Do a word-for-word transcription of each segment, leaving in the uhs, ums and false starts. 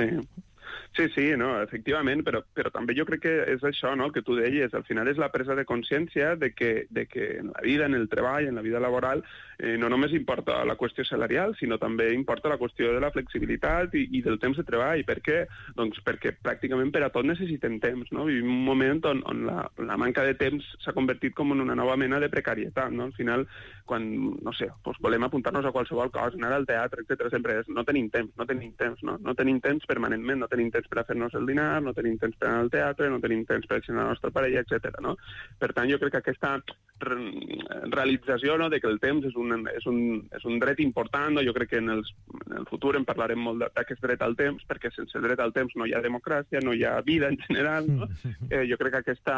Sí. Sí, sí, no, efectivament, però, però també jo crec que és això, no?, el que tu deies, al final és la presa de consciència de que, de que en la vida, en el treball, en la vida laboral, eh, no només importa la qüestió salarial, sinó també importa la qüestió de la flexibilitat i, i del temps de treball. Per què? Doncs perquè pràcticament per a tot necessitem temps, no? Vivim un moment on, on la, la manca de temps s'ha convertit com en una nova mena de precarietat, no? Al final, quan, no sé, doncs volem apuntar-nos a qualsevol cosa, anar al teatre, etcètera, sempre és no tenim temps, no tenim temps, no? No tenim temps permanentment, no tenim temps per a fer-nos el dinar, no tenim temps per anar al teatre, no tenim temps per a la nostra parella, etcètera, no? Per tant, jo crec que aquesta realització, no?, de que el temps és un, és un, és un dret important, no? Jo crec que en, els, en el futur en parlarem molt d'aquest dret al temps, perquè sense dret al temps no hi ha democràcia, no hi ha vida en general, no? Eh, jo crec que aquesta,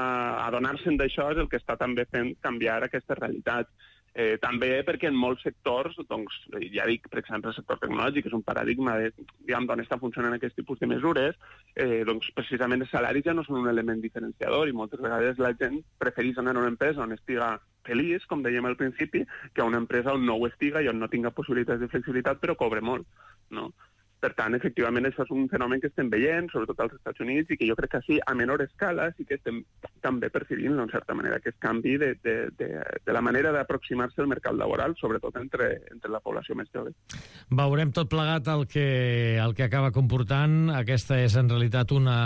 adonar-se'n d'això és el que està també fent canviar aquesta realitat. Eh, també perquè en molts sectors, doncs, ja dic, per exemple, el sector tecnològic és un paradigma de, diguem, d'on està funcionant aquest tipus de mesures, eh, doncs precisament els salaris ja no són un element diferenciador i moltes vegades la gent prefereix anar a una empresa on estiga feliç, com dèiem al principi, que a una empresa on no ho estiga i on no tinga possibilitats de flexibilitat però cobre molt, no? Per tant, efectivament, això és un fenomen que estem veient, sobretot als Estats Units, i que jo crec que sí, a menor escala, sí que estem també percibint, en certa manera, aquest canvi de, de, de, de la manera d'aproximar-se al mercat laboral, sobretot entre, entre la població més jove. Veurem tot plegat el que, el que acaba comportant. Aquesta és, en realitat, una...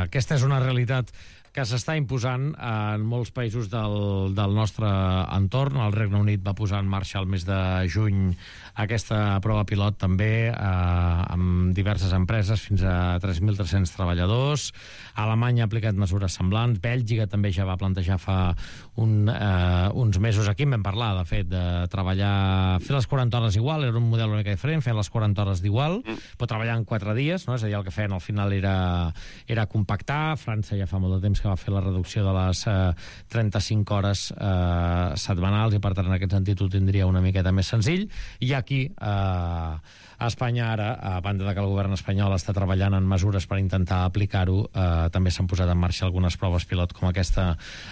Aquesta és una realitat que s'està imposant en molts països del, del nostre entorn. El Regne Unit va posar en marxa el mes de juny aquesta prova pilot també eh, amb diverses empreses, fins a tres mil tres-cents treballadors. Alemanya ha aplicat mesures semblants. Bèlgica també ja va plantejar fa un, eh, uns mesos. Aquí en vam parlar, de fet, de treballar, fer les quaranta hores igual, era un model una mica diferent, fer les quaranta hores d'igual, però treballar en quatre dies, no? És a dir, el que feien al final era, era compactar. França ja fa molt de temps que va fer la reducció de les eh, trenta-cinc hores eh, setmanals, i per tant en aquest sentit ho tindria una miqueta més senzill. I aquí eh, a Espanya ara, a banda de que el govern espanyol està treballant en mesures per intentar aplicar-ho, eh, també s'han posat en marxa algunes proves pilot com aquesta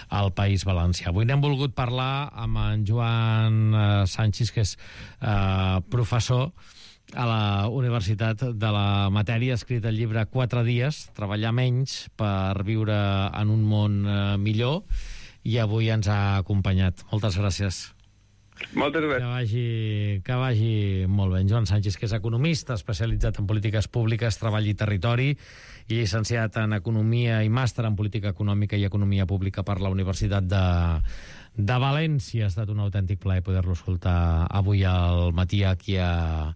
al País Valencià. Avui n'hem volgut parlar amb en Joan eh, Sanchis, que és eh, professor a la Universitat de la Matèria, ha escrit el llibre Quatre dies, treballar menys per viure en un món eh, millor, i avui ens ha acompanyat. Moltes gràcies. Moltes gràcies. Que vagi, que vagi molt bé. En Joan Sanchis, que és economista, especialitzat en polítiques públiques, treball i territori, i llicenciat en Economia i màster en Política Econòmica i Economia Pública per la Universitat de, de València. Ha estat un autèntic plaer poder-lo escoltar avui al matí aquí a,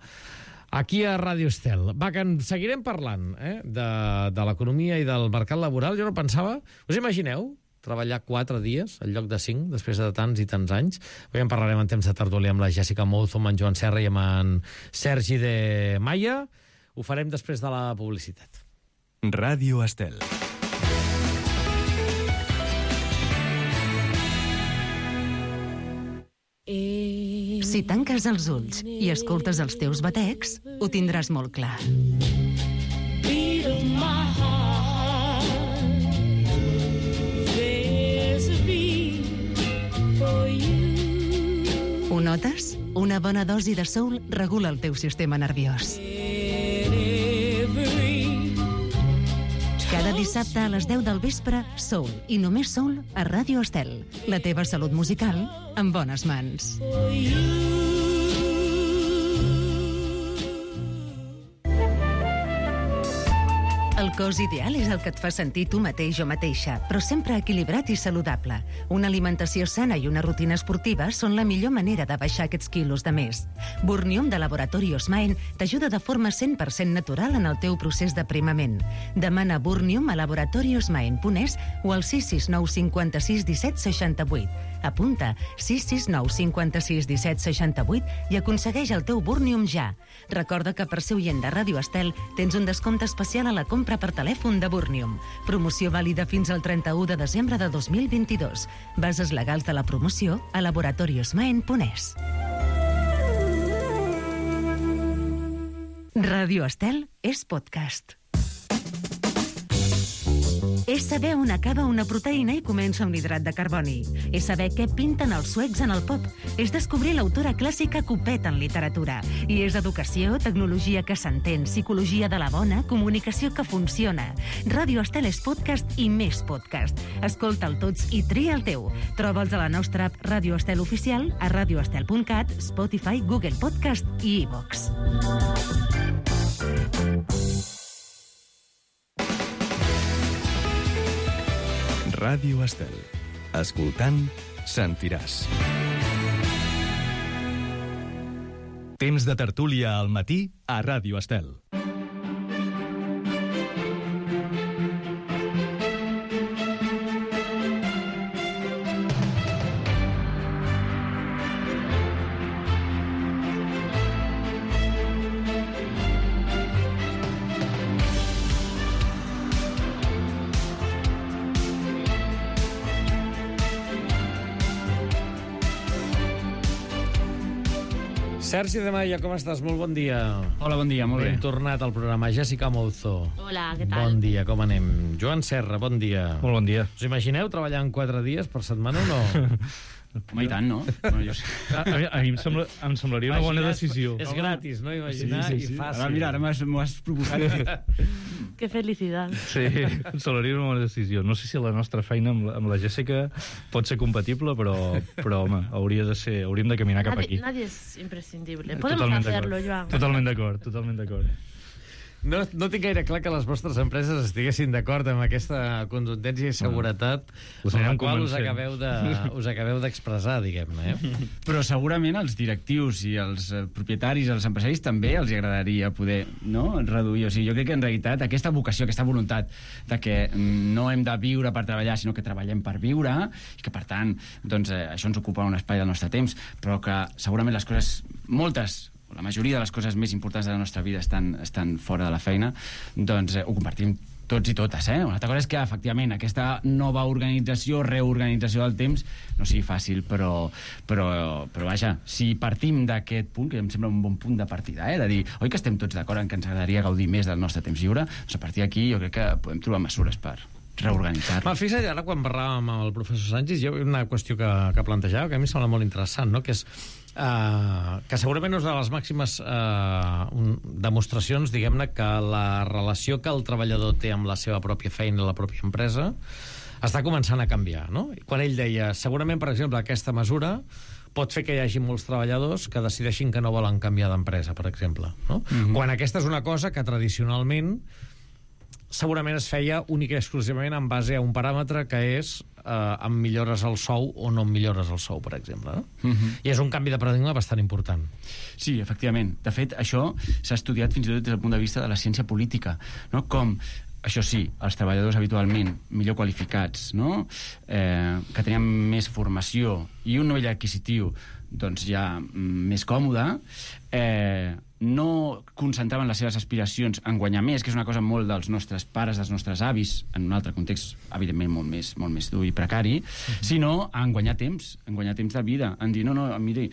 aquí a Ràdio Estel. Va, que en seguirem parlant eh, de, de l'economia i del mercat laboral. Jo no pensava... Us imagineu treballar quatre dies en lloc de cinc, després de tants i tants anys? Avui en parlarem en temps de tertúlia amb la Jessica Mouzo, amb en Joan Serra i amb en Sergi de Maia. Ho farem després de la publicitat. Ràdio Estel. Si tanques els ulls i escoltes els teus batecs, ho tindràs molt clar. Ho notes? Una bona dosi de soul regula el teu sistema nerviós. Cada dissabte a les deu del vespre, Soul, i només Soul, a Ràdio Estel. La teva salut musical en bones mans. El cos ideal és el que et fa sentir tu mateix o mateixa, però sempre equilibrat i saludable. Una alimentació sana i una rutina esportiva són la millor manera de baixar aquests quilos de més. Burnium de Laboratori Osmaen t'ajuda de forma cent per cent natural en el teu procés d'aprimament. Demana Burnium a laboratori osmaen punt es o al sis sis nou cinc sis disset seixanta vuit. Apunta sis sis nou cinc sis disset seixanta vuit i aconsegueix el teu Burnium ja. Recorda que per ser oient de Ràdio Estel tens un descompte especial a la compra per telèfon de Burnium. Promoció vàlida fins al trenta-u de desembre de dos mil vint-i-dos. Bases legals de la promoció a laboratori osmaen punt es. Ràdio Estel és podcast. És saber on acaba una proteïna i comença un hidrat de carboni. És saber què pinten els suecs en el pop. És descobrir l'autora clàssica Copet en literatura. I és educació, tecnologia que s'entén, psicologia de la bona, comunicació que funciona. Ràdio Estel és podcast i més podcast. Escolta'l tots i tria el teu. Troba'ls a la nostra app Ràdio Estel Oficial, a radioestel punt cat, Spotify, Google Podcast i iVox. Ràdio Estel. Escoltant, sentiràs. Temps de tertúlia al matí a Ràdio Estel. Sergi de Maia, com estàs? Molt bon dia. Hola, bon dia, molt bé. Ben tornat al programa. Jessica Mouzo. Hola, què tal? Bon dia, com anem? Joan Serra, bon dia. Molt bon dia. Us imagineu treballant quatre dies per setmana o no? Home, i tant, no? no jo... a, a, mi, a mi em, sembla, em semblaria una bona decisió. És gratis, no? Imaginar sí, sí, sí. I fàcil. Ara, mira, ara m'ho has provocat. Que felicitat. Sí, em semblaria una bona decisió. No sé si la nostra feina amb la, amb la Jessica pot ser compatible, però, però home, hauria de ser, hauríem de caminar cap nadie, aquí. Nadie es imprescindible. Podemos Totalment hacerlo, Joan. Totalment d'acord, totalment d'acord. No, no tinc gaire clar que les vostres empreses estiguessin d'acord amb aquesta contundència i seguretat no. amb la qual us acabeu, de, us acabeu d'expressar, diguem-ne. Eh? Però segurament els directius i els propietaris, els empresaris, també els agradaria poder no, reduir. O sigui, jo crec que en realitat aquesta vocació, aquesta voluntat de que no hem de viure per treballar, sinó que treballem per viure, i que, per tant, doncs, eh, això ens ocupa un espai del nostre temps, però que segurament les coses, moltes, la majoria de les coses més importants de la nostra vida estan, estan fora de la feina, doncs eh, ho compartim tots i totes, eh? Una altra cosa és que, efectivament, aquesta nova organització, reorganització del temps, no sigui fàcil, però, però, però vaja, si partim d'aquest punt, que em sembla un bon punt de partida, eh? De dir, oi que estem tots d'acord en que ens agradaria gaudir més del nostre temps lliure? Doncs a partir d'aquí jo crec que podem trobar mesures per reorganitzar-lo. Fixa't, ara quan parlàvem amb el professor Sánchez, hi ha una qüestió que, que plantejava, que a mi em sembla molt interessant, no? Que és Uh, que segurament és una de les màximes uh, un, demostracions, diguem-ne, que la relació que el treballador té amb la seva pròpia feina, la pròpia empresa, està començant a canviar, no? Quan ell deia, segurament, per exemple, aquesta mesura pot fer que hi hagi molts treballadors que decideixin que no volen canviar d'empresa, per exemple, no? Mm-hmm. Quan aquesta és una cosa que tradicionalment segurament es feia única i exclusivament en base a un paràmetre que és eh, em millores el sou o no em millores el sou, per exemple. No? Uh-huh. I és un canvi de paradigma bastant important. Sí, efectivament. De fet, això s'ha estudiat fins i tot des del punt de vista de la ciència política, no? Com, això sí, els treballadors habitualment millor qualificats, no? eh, que tenien més formació i un nivell adquisitiu doncs ja més còmode, eh, no concentraven les seves aspiracions en guanyar més, que és una cosa molt dels nostres pares, dels nostres avis, en un altre context, evidentment, molt més, molt més dur i precari, mm-hmm. sinó en guanyar temps, en guanyar temps de vida, en dir, no, no, miri,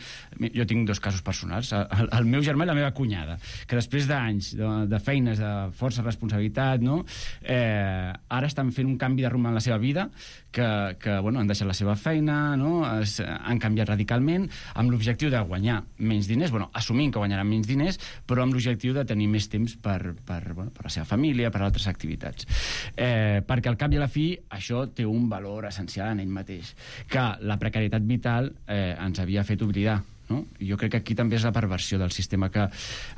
jo tinc dos casos personals, el, el meu germà i la meva cunyada, que després d'anys de, de feines, de força responsabilitat, no? eh, ara estan fent un canvi de rumb en la seva vida, que, que bueno, han deixat la seva feina, no? Es, han canviat radicalment, amb l'objectiu de guanyar menys diners, bueno, assumint que guanyaran menys diners, però amb l'objectiu de tenir més temps per, per, bueno, per la seva família, per altres activitats. Eh, perquè al cap i a la fi això té un valor essencial en ell mateix, que la precarietat vital eh, ens havia fet oblidar. No? Jo crec que aquí també és la perversió del sistema, que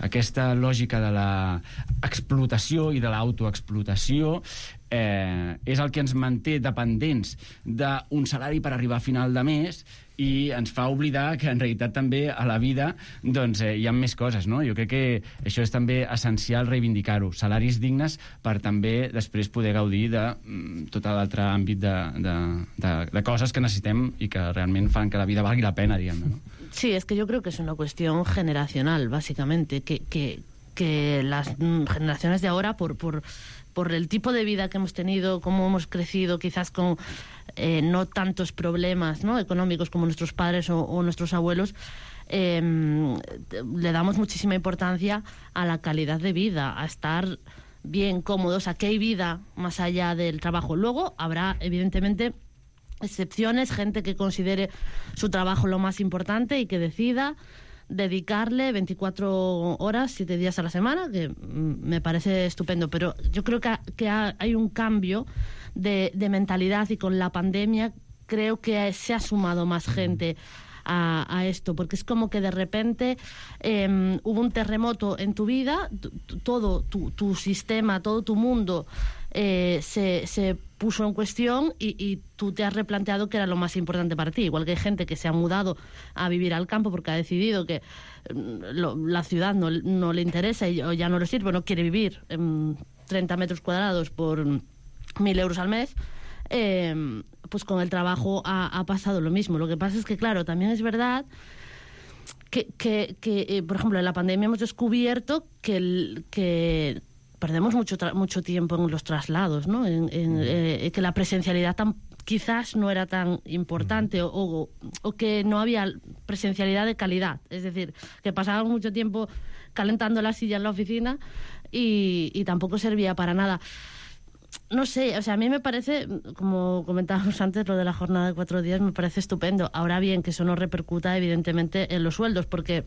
aquesta lògica de l'explotació i de l'autoexplotació eh, és el que ens manté dependents d'un salari per arribar a final de mes i ens fa oblidar que en realitat també a la vida doncs, eh, hi ha més coses, no? Jo crec que això és també essencial reivindicar-ho, salaris dignes per també després poder gaudir de mm, tot l'altre àmbit de, de, de, de coses que necessitem i que realment fan que la vida valgui la pena, diguem-ne, no? Sí, es que yo creo que es una cuestión generacional, básicamente, que, que, que las generaciones de ahora, por, por, por el tipo de vida que hemos tenido, cómo hemos crecido, quizás con eh, no tantos problemas, ¿no?, económicos como nuestros padres o, o nuestros abuelos, eh, le damos muchísima importancia a la calidad de vida, a estar bien, cómodo, o sea, que hay vida más allá del trabajo. Luego habrá, evidentemente, excepciones, gente que considere su trabajo lo más importante y que decida dedicarle veinticuatro horas, siete días a la semana, que me parece estupendo, pero yo creo que, que hay un cambio de, de mentalidad, y con la pandemia creo que se ha sumado más gente a, a esto, porque es como que de repente eh, hubo un terremoto en tu vida, todo tu, tu sistema, todo tu mundo eh, se, se puso en cuestión, y, y tú te has replanteado qué era lo más importante para ti. Igual que hay gente que se ha mudado a vivir al campo porque ha decidido que lo, la ciudad no, no le interesa y, o ya no le sirve, no quiere vivir en treinta metros cuadrados por mil euros al mes. Eh, pues con el trabajo ha, ha pasado lo mismo. Lo que pasa es que, claro, también es verdad que, que, que eh, por ejemplo, en la pandemia hemos descubierto que, el, que perdemos mucho, mucho tiempo en los traslados, ¿no? En, en, eh, que la presencialidad tan, quizás no era tan importante, o, o, o que no había presencialidad de calidad. Es decir, que pasábamos mucho tiempo calentando la silla en la oficina y, y tampoco servía para nada. No sé, o sea, a mí me parece, como comentábamos antes, lo de la jornada de cuatro días me parece estupendo. Ahora bien, que eso no repercuta evidentemente en los sueldos, porque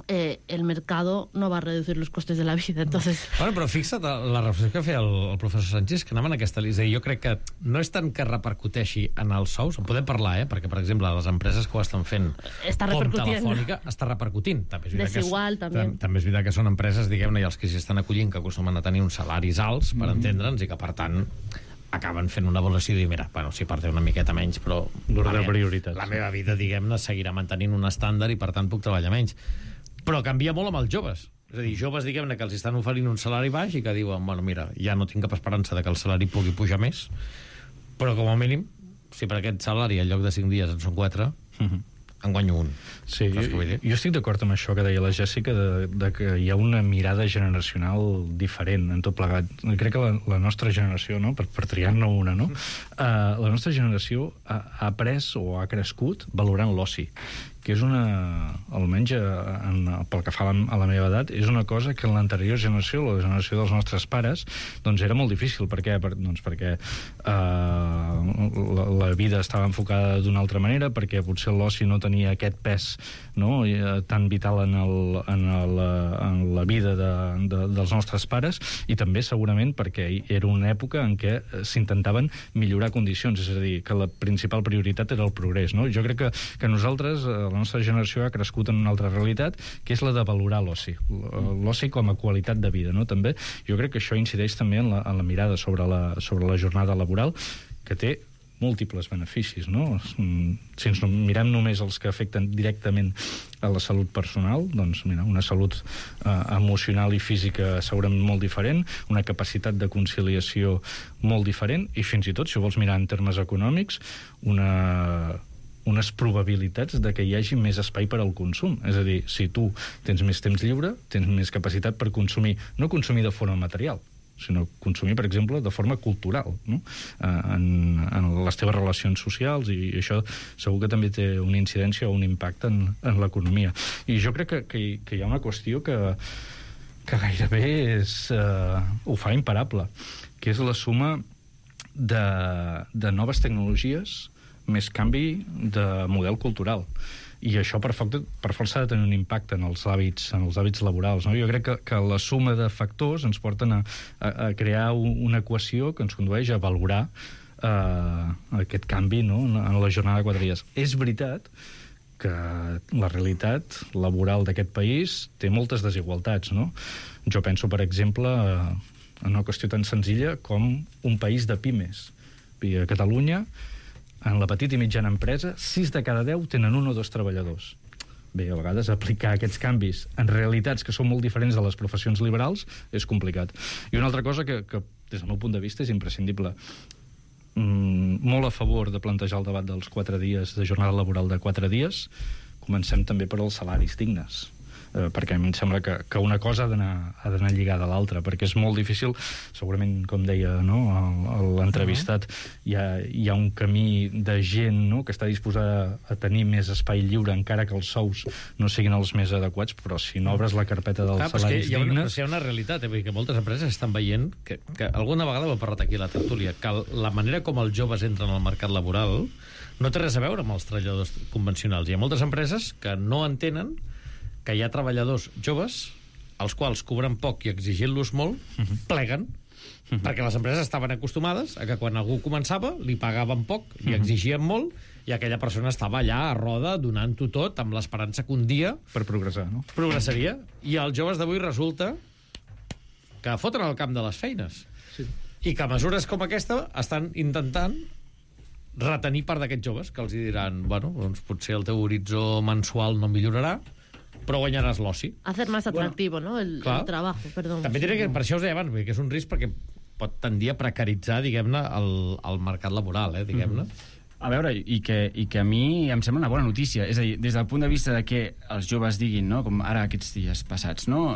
eh, el mercado no va a reducir los costes de la vida, entonces... Bueno, però fixa't la reflexió que feia el, el professor Sánchez, que anava en aquesta línia. Jo crec que no és tant que repercuteixi en els sous, en podem parlar, eh? Perquè, per exemple, les empreses que ho estan fent, com Telefònica, està repercutint. També és Desigual, que, també. També és veritat que són empreses, diguem-ne, i els que s'hi estan acollint, que acostumen a tenir uns salaris alts, per mm. entendre'ns, i que, per tant, acaben fent una avaluació i dir, mira, bueno, si per té una miqueta menys, però l'ordre de prioritats. La meva vida, diguem-ne, seguirà mantenint un estàndard i, per tant, puc treballar menys. Però canvia molt amb els joves. És a dir, joves, diguem-ne, que els estan oferint un salari baix i que diuen, bueno, mira, ja no tinc cap esperança de que el salari pugui pujar més, però com a mínim, si per aquest salari en lloc de cinc dies en són quatre, uh-huh. en guanyo un. Sí, jo, jo estic d'acord amb això que deia la Jèssica, de, de que hi ha una mirada generacional diferent en tot plegat. Crec que la, la nostra generació, no? per, per triar-ne una, no? Uh, la nostra generació ha, ha après o ha crescut valorant l'oci, que és una, almenys en, pel que fa a la, a la meva edat, és una cosa que en l'anterior generació, la generació dels nostres pares, doncs era molt difícil. Per què? Per, doncs perquè eh, la, la vida estava enfocada d'una altra manera, perquè potser l'oci no tenia aquest pes, no?, tan vital en, el, en, el, en la vida de, de, dels nostres pares, i també segurament perquè era una època en què s'intentaven millorar condicions, és a dir, que la principal prioritat era el progrés, no? Jo crec que, que nosaltres, la nostra generació, ha crescut en una altra realitat, que és la de valorar l'oci, l'oci com a qualitat de vida, no? També jo crec que això incideix també en la, en la mirada sobre la, sobre la jornada laboral, que té múltiples beneficis, no? Si ens mirem només els que afecten directament a la salut personal, doncs mira, una salut eh, emocional i física segurament molt diferent, una capacitat de conciliació molt diferent, i fins i tot, si ho vols mirar en termes econòmics, una unes probabilitats de que hi hagi més espai per al consum. És a dir, si tu tens més temps lliure, tens més capacitat per consumir, no consumir de forma material, sinó consumir, per exemple, de forma cultural, no? en, en les teves relacions socials, i això segur que també té una incidència o un impacte en, en l'economia. I jo crec que, que, que hi ha una qüestió que, que gairebé és, uh, ho fa imparable, que és la suma de, de noves tecnologies més canvi de model cultural. I això per, per força ha de tenir un impacte en els hàbits, en els hàbits laborals, no? Jo crec que, que la suma de factors ens porten a, a, a crear una equació que ens condueix a valorar eh, aquest canvi, no?, en la jornada de quatre dies. És veritat que la realitat laboral d'aquest país té moltes desigualtats, no? Jo penso, per exemple, en una qüestió tan senzilla com un país de pimes. A Catalunya, en la petita i mitjana empresa, sis de cada deu tenen un o dos treballadors. Bé, a vegades aplicar aquests canvis en realitats que són molt diferents de les professions liberals és complicat. I una altra cosa que, que des del meu punt de vista, és imprescindible. Mm, molt a favor de plantejar el debat dels quatre dies, de jornada laboral de quatre dies. Comencem també per als salaris dignes. eh, perquè a mi em sembla que, que una cosa ha d'anar ha d'anar lligada a l'altra, perquè és molt difícil, segurament, com deia, no, l'entrevistat, hi ha, hi ha un camí de gent, no, que està disposada a tenir més espai lliure, encara que els sous no siguin els més adequats, però si no obres la carpeta dels Clar, salaris hi ha una, dignes... Hi ha una realitat, eh? Vull dir que moltes empreses estan veient que, que alguna vegada ho he parlat aquí a la tertúlia, que la manera com els joves entren al mercat laboral no té res a veure amb els treballadors convencionals. Hi ha moltes empreses que no entenen que hi ha treballadors joves als quals cobren poc i exigint-los molt, uh-huh. pleguen, uh-huh. perquè les empreses estaven acostumades a que quan algú començava li pagaven poc, li exigien molt, i aquella persona estava allà a roda donant-ho tot amb l'esperança que un dia per progressar, no? progressaria. I els joves d'avui resulta que foten al camp de les feines. Sí. I que mesures com aquesta estan intentant retenir part d'aquests joves, que els diran, bueno, doncs potser el teu horitzó mensual no millorarà, però guanyaràs l'oci. Hacer más atractivo, bueno, ¿no? El, el trabajo, perdón. També diré que per això us deia abans, que és un risc perquè pot tendir a precaritzar, diguem-ne, el, el mercat laboral, eh, diguem-ne. Mm-hmm. A veure, i que, i que a mi em sembla una bona notícia. És a dir, des del punt de vista de que els joves diguin, no, com ara aquests dies passats, no,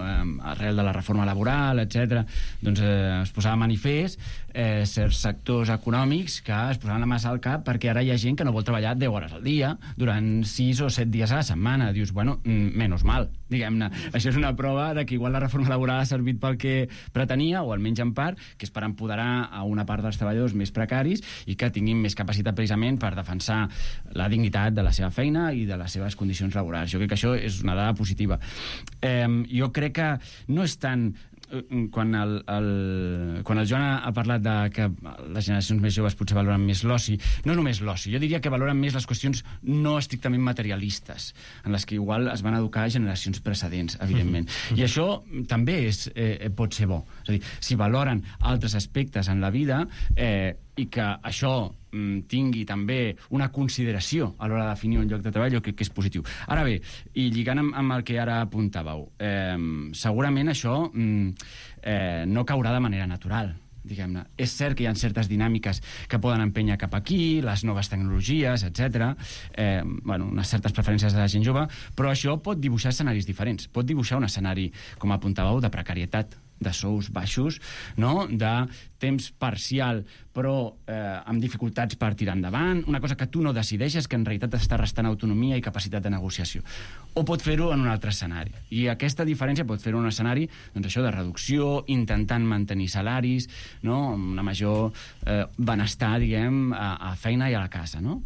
arrel de la reforma laboral, etcètera, doncs eh, es posava manifest eh, certs sectors econòmics que es posaven la massa al cap perquè ara hi ha gent que no vol treballar deu hores al dia durant sis o set dies a la setmana. Dius, bueno, menos mal, diguem-ne. Això és una prova de que igual la reforma laboral ha servit pel que pretenia, o almenys en part, que és per empoderar a una part dels treballadors més precaris i que tinguin més capacitat precisament per defensar la dignitat de la seva feina i de les seves condicions laborals. Jo crec que això és una dada positiva. Eh, jo crec que no és tant... Quan el, el, quan el Joan ha, ha parlat de que les generacions més joves potser valoren més l'oci, no només l'oci, jo diria que valoren més les qüestions no estrictament materialistes, en les que igual es van educar generacions precedents, evidentment. Mm-hmm. I això també és, eh, pot ser bo. És a dir, si valoren altres aspectes en la vida eh, i que això mm, tingui també una consideració a l'hora de definir un lloc de treball, jo crec que és positiu. Ara bé, i lligant amb, amb el que ara apuntàveu, eh, segurament això mm, eh, no caurà de manera natural, diguem-ne. És cert que hi ha certes dinàmiques que poden empènyer cap aquí, les noves tecnologies, etcètera, eh, bueno, unes certes preferències de la gent jove, però això pot dibuixar escenaris diferents. Pot dibuixar un escenari, com apuntàveu, de precarietat, de sous baixos, no? De temps parcial, però eh, amb dificultats per tirar endavant, una cosa que tu no decideixes, que en realitat està restant autonomia i capacitat de negociació. O pot fer-ho en un altre escenari. I aquesta diferència pot fer-ho en un escenari, doncs això, de reducció, intentant mantenir salaris, no? Amb una major eh, benestar, diguem, a, a feina i a la casa, no?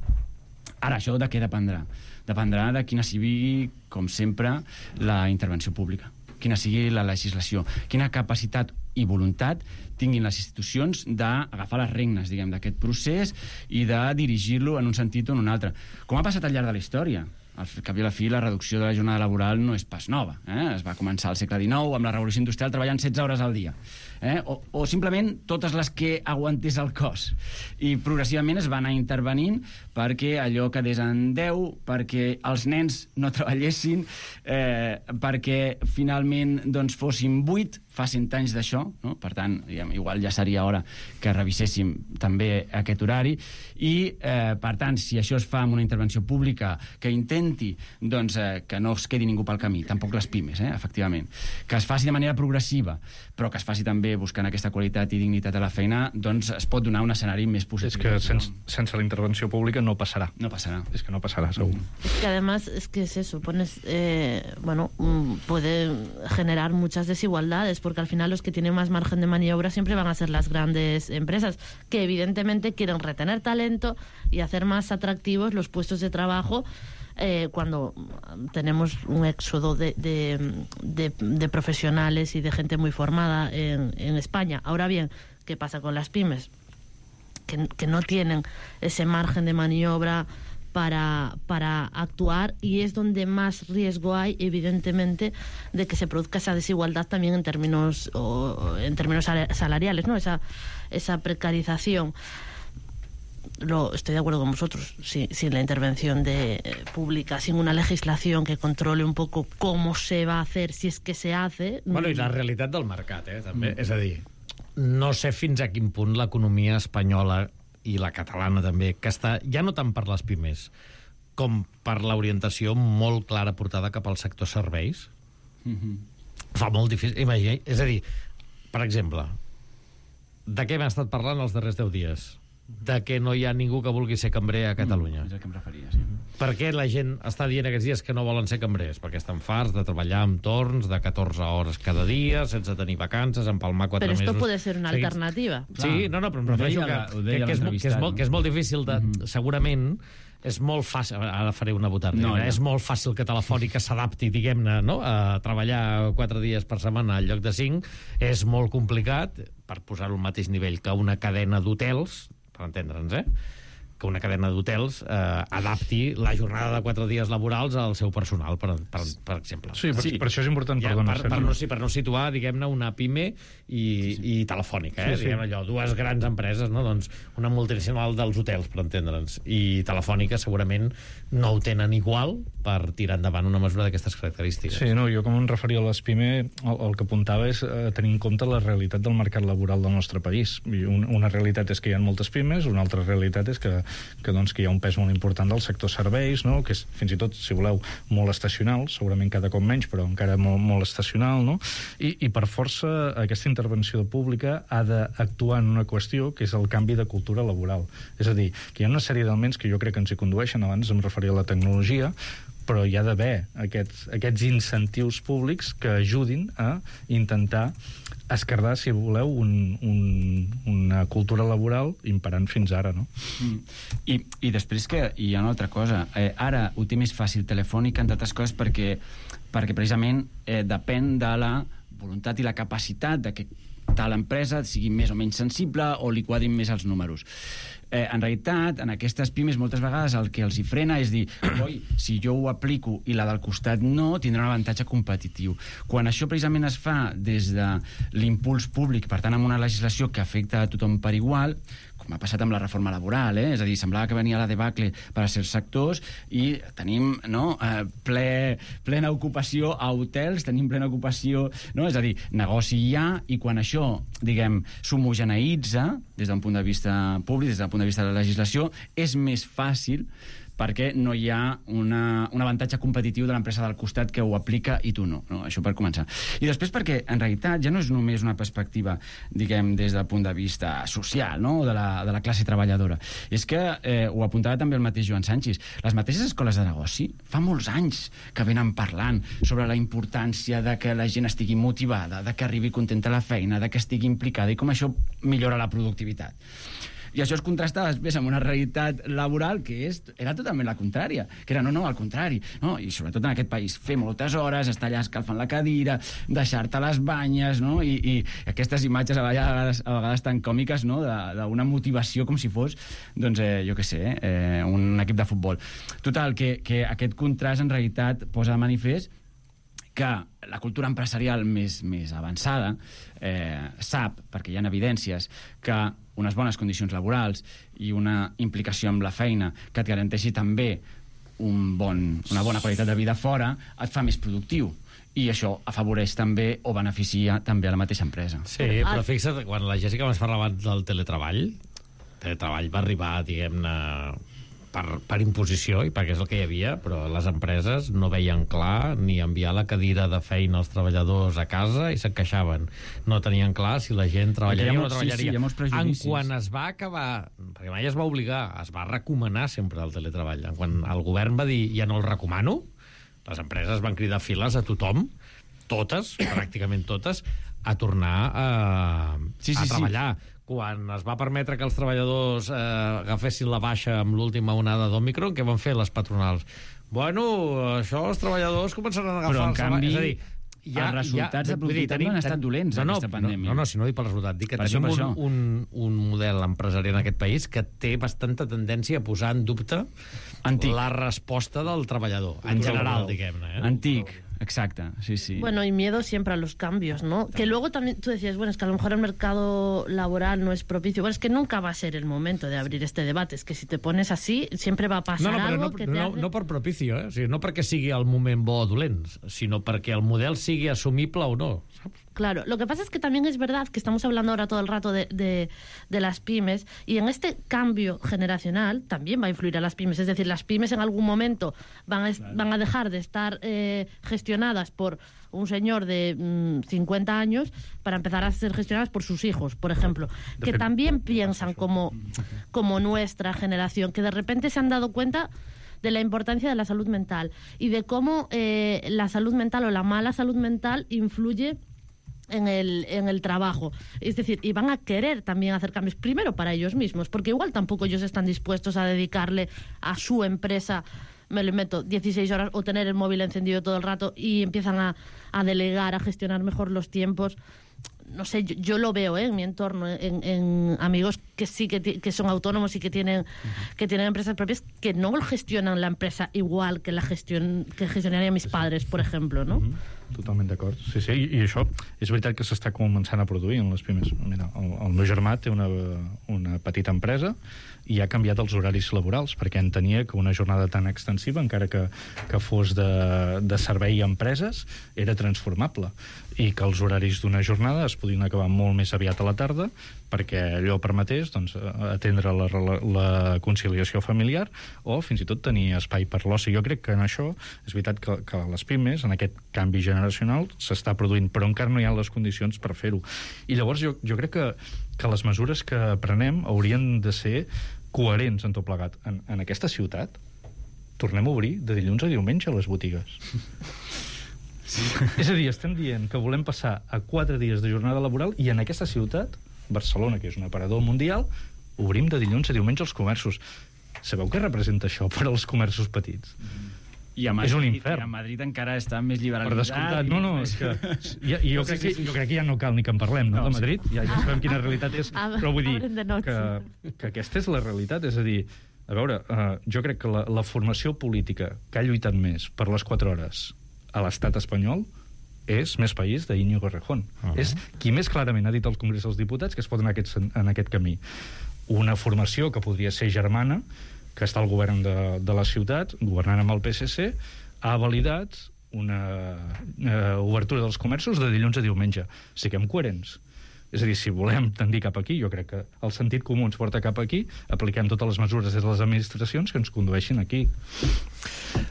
Ara, això de què dependrà? Dependrà de quina sigui, com sempre, la intervenció pública, quina sigui la legislació, quina capacitat i voluntat tinguin les institucions d'agafar les regnes, diguem, d'aquest procés i de dirigir-lo en un sentit o en un altre. Com ha passat al llarg de la història. Al cap i a la fi, la reducció de la jornada laboral no és pas nova. Eh? Es va començar al segle dinou amb la revolució industrial treballant setze hores al dia. Eh? O, o simplement totes les que aguantés el cos. I progressivament es va anar intervenint perquè allò quedés en deu, perquè els nens no treballessin, eh, perquè finalment doncs, fossin vuit, fa cent anys d'això, no? Per tant, igual ja seria hora que reviséssim també aquest horari, i eh, per tant, si això es fa amb una intervenció pública que intenti doncs, eh, que no es quedi ningú pel camí, tampoc les pimes, eh, efectivament, que es faci de manera progressiva, però que es faci també buscant aquesta qualitat i dignitat a la feina, doncs es pot donar un escenari més positiu. És que sense, sense la intervenció pública no passarà. No passarà. És que no passarà, segur. Mm. Es que además, es que es eso, pones, eh, bueno, puede generar muchas desigualdades, porque al final los que tienen más margen de maniobra siempre van a ser las grandes empresas, que evidentemente quieren retener talento y hacer más atractivos los puestos de trabajo eh, cuando tenemos un éxodo de, de, de, de profesionales y de gente muy formada en, en España. Ahora bien, ¿qué pasa con las pymes? Que, que no tienen ese margen de maniobra Para, para actuar, y es donde más riesgo hay, evidentemente, de que se produzca esa desigualdad también en términos o, en términos salariales, ¿no? Esa, esa precarización. Lo, estoy de acuerdo con vosotros, sin, sin la intervención de, eh, pública, sin una legislación que controle un poco cómo se va a hacer, si es que se hace. Bueno, i la realitat del mercat, eh, també. Mm. És a dir, no sé fins a quin punt l'economia espanyola i la catalana també, que està ja no tant per les pimes com per l'orientació molt clara portada cap al sector serveis, Mm-hmm. Fa molt difícil. Imagina, és a dir, per exemple, de què hem estat parlant els darrers deu dies? De que no hi ha ningú que vulgui ser cambrer a Catalunya. Mm, és el que em referia, sí. Per què la gent està dient aquests dies que no volen ser cambrers? Perquè estan farts de treballar amb torns de catorze hores cada dia, sense tenir vacances, empalmar quatre Pero mesos... esto puede ser una seguits. alternativa. Sí, no, no, però em Ho refereixo deia que, la- ho que, deia que, és, mo- que, és, l'entrevistat, molt, que és molt difícil de... Mhm. Segurament és molt fàcil... Ara faré una botarda. No, No, ja. És molt fàcil que Telefònica s'adapti, diguem-ne, no? a treballar quatre dies per setmana al lloc de cinc. És molt complicat, per posar-ho al mateix nivell que una cadena d'hotels, per entendre'ns, eh? que una cadena d'hotels eh, adapti la jornada de quatre dies laborals al seu personal, per, per, per exemple. Sí, per, Sí. per això és important, Ja, perdona, per, per, Sergi. no, sí, per no situar, diguem-ne, una PIME i, i Telefònica, eh? Sí, sí. Diguem allò, dues grans empreses, no? Doncs una multinacional dels hotels, per entendre'ns, i Telefònica segurament no ho tenen igual per tirar endavant una mesura d'aquestes característiques. Sí, no, jo com em referia a les PIME, el, el que apuntava és eh, tenir en compte la realitat del mercat laboral del nostre país. I un, una realitat és que hi ha moltes PIMEs, una altra realitat és que, que, doncs, que hi ha un pes molt important del sector serveis, no? Que és fins i tot, si voleu, molt estacional, segurament cada cop menys, però encara molt, molt estacional, no? I, I per força aquesta intervenció pública ha d'actuar en una qüestió que és el canvi de cultura laboral. És a dir, que hi ha una sèrie d'elements que jo crec que ens hi condueixen, abans em referia a la tecnologia, però hi ha d'haver aquests, aquests incentius públics que ajudin a intentar esquerdar, si voleu, un, un, una cultura laboral imperant fins ara, no? Mm. I, I després que hi ha una altra cosa. Eh, ara ho té més fàcil Telefònica, entre altres coses, perquè, perquè precisament eh, depèn de la voluntat i la capacitat de que tal empresa sigui més o menys sensible o li quadrin més els números. Eh, en realitat, en aquestes pimes moltes vegades el que els hi frena és dir, oi, si jo ho aplico i la del costat no, tindrà un avantatge competitiu. Quan això precisament es fa des de l'impuls públic, per tant amb una legislació que afecta a tothom per igual, com ha passat amb la reforma laboral, eh? És a dir, semblava que venia la debacle per a certs sectors i tenim, no, eh, ple, plena ocupació a hotels, tenim plena ocupació, no? És a dir, negoci hi ha, i quan això, diguem, s'homogeneïtza des d'un punt de vista públic, des del punt de vista de la legislació, és més fàcil perquè no hi ha una, un avantatge competitiu de l'empresa del costat que ho aplica i tu no, no, això per començar. I després perquè, en realitat, ja no és només una perspectiva, diguem, des del punt de vista social, no?, de la, de la classe treballadora. És que, eh, ho apuntava també el mateix Joan Sanchis, les mateixes escoles de negoci fa molts anys que venen parlant sobre la importància de que la gent estigui motivada, de que arribi contenta a la feina, de que estigui implicada i com això millora la productivitat. I això es contrastava després amb una realitat laboral que és, era totalment la contrària, que era no, no, al contrari, no? I sobretot en aquest país, fer moltes hores, estar allà escalfant la cadira, deixar-te les banyes, no? I, i aquestes imatges a vegades, a vegades tan còmiques, no?, d'una motivació com si fos, doncs, eh, jo què sé, eh, un equip de futbol. Total, que, que aquest contrast en realitat posa de manifest que la cultura empresarial més, més avançada eh, sap, perquè hi ha evidències, que unes bones condicions laborals i una implicació amb la feina que et garanteixi també un bon, una bona qualitat de vida fora et fa més productiu. I això afavoreix també o beneficia també a la mateixa empresa. Sí, però fixa't, quan la Jessica ens parlava del teletreball, el teletreball va arribar, diguem-ne, per, per imposició i perquè és el que hi havia, però les empreses no veien clar ni enviar la cadira de feina als treballadors a casa i se'n queixaven. No tenien clar si la gent treballaria o no treballaria. Sí, sí, hi ha molts prejudicis. En quan es va acabar, perquè mai es va obligar, es va recomanar sempre el teletreball. En quan el govern va dir ja no el recomano, les empreses van cridar files a tothom, totes, pràcticament totes, a tornar a, sí, sí, a treballar. Sí. Quan es va permetre que els treballadors eh, agafessin la baixa amb l'última onada d'Òmicron, què van fer les patronals? Bueno, això els treballadors començaran a agafar... Però, en canvi, és a dir, ja, els resultats ja, de productivitat no han estat dolents, no, no, aquesta pandèmia. No, no, si no dic pel resultat, dic que per tenim això, un, un, un model empresarial en aquest país que té bastanta tendència a posar en dubte Antic. la resposta del treballador, en general, diguem-ne. Eh? Antic. Exacte, sí, sí. Bueno, y miedo siempre a los cambios, ¿no? Que luego también tú decías, bueno, es que a lo mejor el mercado laboral no es propicio. Bueno, es que nunca va a ser el momento de abrir este debate. Es que si te pones así, siempre va a pasar no, no, algo no, que no, te no, hace... no per propicio, eh? O sigui, no perquè sigui el moment bo o dolent, sinó perquè el model sigui assumible o no, saps? Claro, lo que pasa es que también es verdad que estamos hablando ahora todo el rato de, de, de las pymes, y en este cambio generacional también va a influir a las pymes. Es decir, las pymes en algún momento van a, claro. van a dejar de estar eh, gestionadas por un señor de mmm, cincuenta años para empezar a ser gestionadas por sus hijos, por ejemplo, que también piensan como, como nuestra generación, que de repente se han dado cuenta de la importancia de la salud mental y de cómo eh, la salud mental o la mala salud mental influye en el, en el trabajo. Es decir, y van a querer también hacer cambios, primero para ellos mismos, porque igual tampoco ellos están dispuestos a dedicarle a su empresa, me lo meto, dieciséis horas o tener el móvil encendido todo el rato, y empiezan a, a delegar, a gestionar mejor los tiempos. No sé, yo, yo lo veo ¿eh? en mi entorno, en, en amigos que sí que, que son autónomos y que tienen, uh-huh. que tienen empresas propias, que no gestionan la empresa igual que la gestión que gestionarían mis padres, por ejemplo, no? Uh-huh. Totalment d'acord. Sí, sí, i, i això és veritat que s'està començant a produir en les pimes. Mira, el, el meu germà té una, una petita empresa i ha canviat els horaris laborals perquè entenia que una jornada tan extensiva, encara que, que fos de, de servei a empreses, era transformable, i que els horaris d'una jornada es podien acabar molt més aviat a la tarda perquè allò permetés doncs, atendre la, la, la conciliació familiar o fins i tot tenir espai per l'oci. Jo crec que en això és veritat que, que les pimes, en aquest canvi generacional, s'està produint, però encara no hi ha les condicions per fer-ho. I llavors jo, jo crec que, que les mesures que prenem haurien de ser coherents en tot plegat. En, en aquesta ciutat tornem a obrir de dilluns a diumenge les botigues. Sí. És a dir, estem dient que volem passar a quatre dies de jornada laboral i en aquesta ciutat, Barcelona, que és un aparador mundial, obrim de dilluns a diumenge els comerços. Sabeu què representa això per als comerços petits? I a Madrid, és un infern. I a Madrid encara està més liberalitzat. Per descomptat, no, no, és que ja, jo, crec que, jo crec que ja no cal ni que en parlem, no, no de Madrid, ja, ja sabem quina realitat és, però vull dir que, que aquesta és la realitat, és a dir, a veure, uh, jo crec que la, la formació política que ha lluitat més per les quatre hores a l'estat espanyol és Més País d'Íñigo Errejón. Uh -huh. És qui més clarament ha dit al Congrés dels Diputats que es pot anar en aquest, en aquest camí. Una formació que podria ser germana, que està al govern de, de la ciutat, governant amb el P S C, ha validat una eh, obertura dels comerços de dilluns a diumenge. Siguem coherents. És a dir, si volem tendir cap aquí, jo crec que el sentit comú ens porta cap aquí, apliquem totes les mesures des de les administracions que ens condueixin aquí.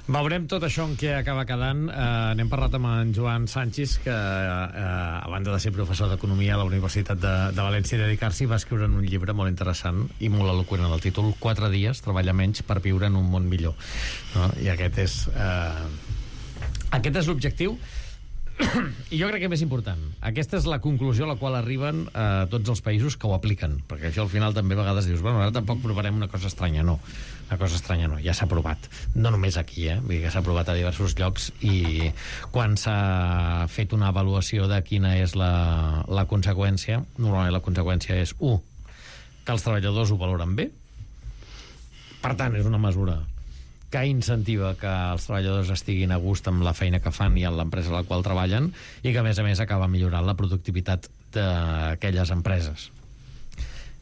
Veurem tot això en què acaba quedant. Uh, n'hem parlat amb en Joan Sánchez, que uh, a banda de ser professor d'Economia a la Universitat de, de València i dedicar-s'hi, va escriure un llibre molt interessant i molt eloqüent en el títol Quatre dies, treballar menys per viure en un món millor. No? I aquest és uh, aquest és l'objectiu. I jo crec que més important, aquesta és la conclusió a la qual arriben eh, tots els països que ho apliquen, perquè això al final també a vegades dius, bueno, ara tampoc provarem una cosa estranya. No, una cosa estranya no, ja s'ha provat, no només aquí, eh? Vull dir que s'ha provat a diversos llocs, i quan s'ha fet una avaluació de quina és la, la conseqüència, normalment la conseqüència és u, que els treballadors ho valoren bé, per tant és una mesura que incentiva que els treballadors estiguin a gust amb la feina que fan i en l'empresa a la qual treballen, i que a més a més acaba millorant la productivitat d'aquelles empreses.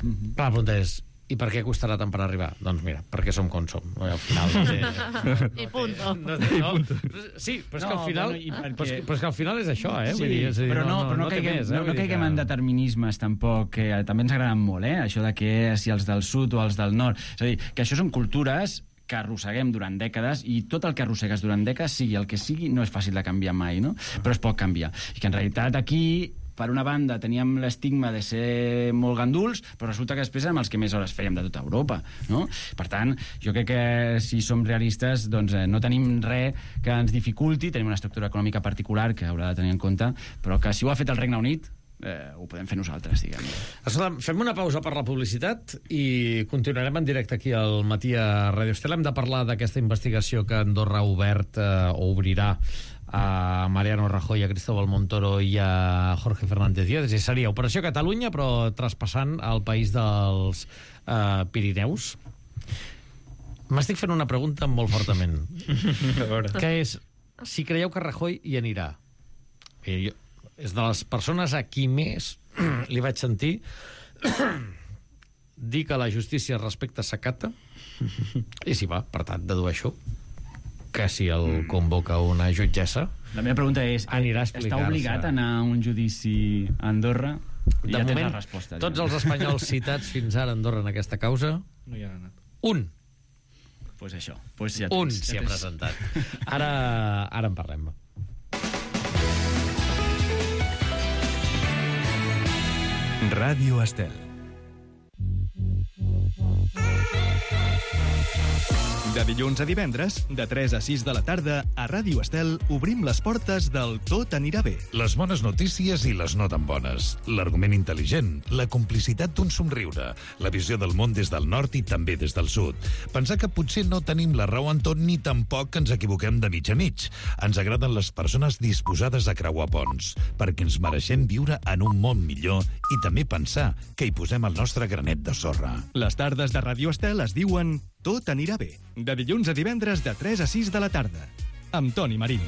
Mm-hmm. Però la pregunta és, i per què costarà tant per arribar? Doncs mira, perquè som com som. Al final no té... I punto. No té, no? Sí, però és, no, que al final, bueno, perquè... però, és, però és que al final és això, eh? Sí, vull dir, és a dir, però no, no, però no, no, caiguem, més, eh? no, no caiguem que... en determinismes tampoc, que també ens agraden molt, eh? Això de que si els del sud o els del nord. És a dir, que això són cultures que arrosseguem durant dècades, i tot el que arrossegues durant dècades, sigui el que sigui, no és fàcil de canviar mai, no? Però es pot canviar. I que en realitat aquí, per una banda, teníem l'estigma de ser molt ganduls, però resulta que després érem els que més hores fèiem de tota Europa, no? Per tant, jo crec que si som realistes, doncs eh, no tenim res que ens dificulti, tenim una estructura econòmica particular que haurà de tenir en compte, però que si ho ha fet el Regne Unit, Eh, ho podem fer nosaltres, diguem. Escolta, fem una pausa per la publicitat i continuarem en directe aquí al matí a Ràdio Estel. Hem de parlar d'aquesta investigació que Andorra ha obert eh, o obrirà a Mariano Rajoy, a Cristóbal Montoro i a Jorge Fernández Díaz. Seria Operació Catalunya, però traspassant al país dels eh, Pirineus. M'estic fent una pregunta molt fortament, que és si creieu que Rajoy hi anirà. I jo, és de les persones a qui més li vaig sentir dir que la justícia respecta s'acata, i si va, per tant, dedueixo que si el convoca una jutgessa La meva pregunta és, anirà a està explicar-se. obligat a anar a un judici a Andorra? De ja tens moment, la resposta. tots els espanyols citats fins ara a Andorra en aquesta causa, No hi ha anat. un. Doncs pues això. Pues ja Un tens, s'hi ja ha tens. presentat. Ara, ara en parlem. Ràdio Estel. De dilluns a divendres, de tres a sis de la tarda, a Ràdio Estel obrim les portes del Tot anirà bé. Les bones notícies i les no tan bones. L'argument intel·ligent, la complicitat d'un somriure, la visió del món des del nord i també des del sud. Pensar que potser no tenim la raó en tot ni tampoc ens equivoquem de mig a mig. Ens agraden les persones disposades a creuar ponts, perquè ens mereixem viure en un món millor i també pensar que hi posem el nostre granet de sorra. Les tardes de Ràdio Estel es diuen Tot anirà bé. De dilluns a divendres de tres a sis de la tarda. Amb Toni Marín.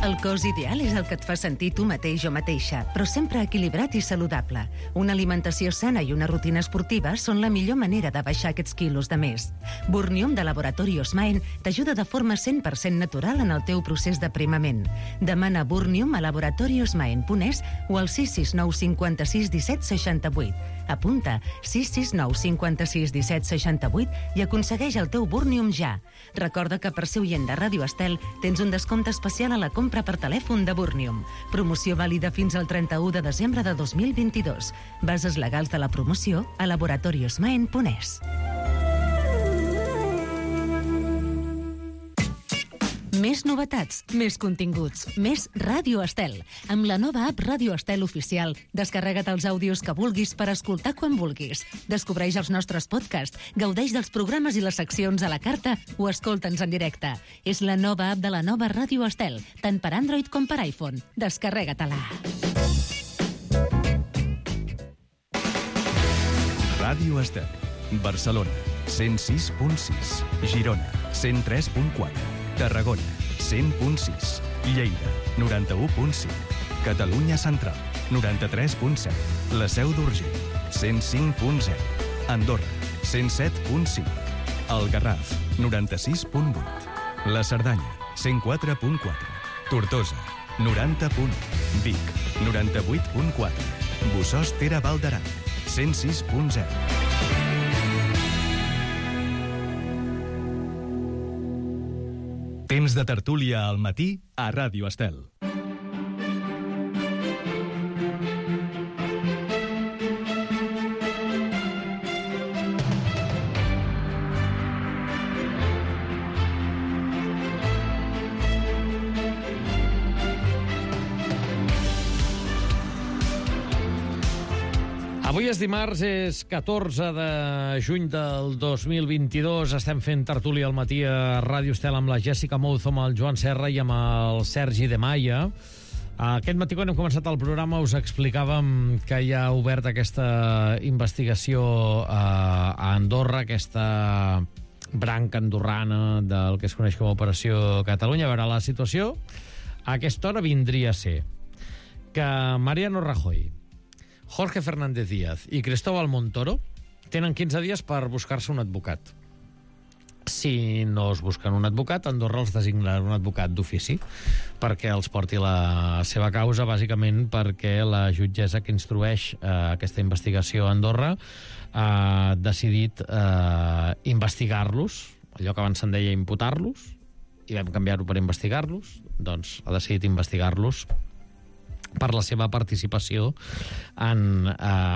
El cos ideal és el que et fa sentir tu mateix o mateixa, però sempre equilibrat i saludable. Una alimentació sana i una rutina esportiva són la millor manera de baixar aquests quilos de més. Burnium de Laboratori Osmaen t'ajuda de forma cent per cent natural en el teu procés d'aprimament. Demana Burnium a laboratori osmaen punt es o al sis sis nou cinc sis disset seixanta vuit. Apunta sis sis nou cinc sis disset seixanta vuit i aconsegueix el teu Burnium ja. Recorda que per ser oient de Ràdio Estel tens un descompte especial a la compra per telèfon de Burnium. Promoció vàlida fins al trenta-u de desembre de dos mil vint-i-dos. Bases legals de la promoció a laboratori osmaen punt es. Més novetats, més continguts, més Ràdio Estel. Amb la nova app Ràdio Estel Oficial, descarrega't els àudios que vulguis per escoltar quan vulguis. Descobreix els nostres podcasts, gaudeix dels programes i les seccions a la carta o escolta'ns en directe. És la nova app de la nova Ràdio Estel, tant per Android com per iPhone. Descarrega-te-la. Ràdio Estel. Barcelona, cent sis punt sis. Girona, cent tres punt quatre. Tarragona, cent punt sis. Lleida, noranta-u punt cinc. Catalunya Central, noranta-tres punt set. La Seu d'Urgell, cent cinc punt zero. Andorra, cent set punt cinc. El Garraf, noranta-sis punt vuit. La Cerdanya, cent quatre punt quatre. Tortosa, noranta punt u. Vic, noranta-vuit punt quatre. Bussòs Tera Val d'Aran, cent sis punt zero. Temps de tertúlia al matí a Ràdio Estel. Avui és dimarts, és catorze de juny del dos mil vint-i-dos. Estem fent tertúlia al matí a Ràdio Estel amb la Jessica Mouz, amb el Joan Serra i amb el Sergi de Maia. Aquest matí, quan hem començat el programa, us explicàvem que hi ha obert aquesta investigació a Andorra, aquesta branca andorrana del que es coneix com a Operació Catalunya. A veure, la situació a aquesta hora vindria a ser que Mariano Rajoy, Jorge Fernández Díaz i Cristóbal Montoro tenen quinze dies per buscar-se un advocat. Si no es busquen un advocat, Andorra els designarà un advocat d'ofici perquè els porti la seva causa, bàsicament perquè la jutgessa que instrueix eh, aquesta investigació a Andorra ha decidit eh, investigar-los, allò que abans se'n deia imputar-los, i vam canviar-ho per investigar-los, doncs ha decidit investigar-los per la seva participació en, eh,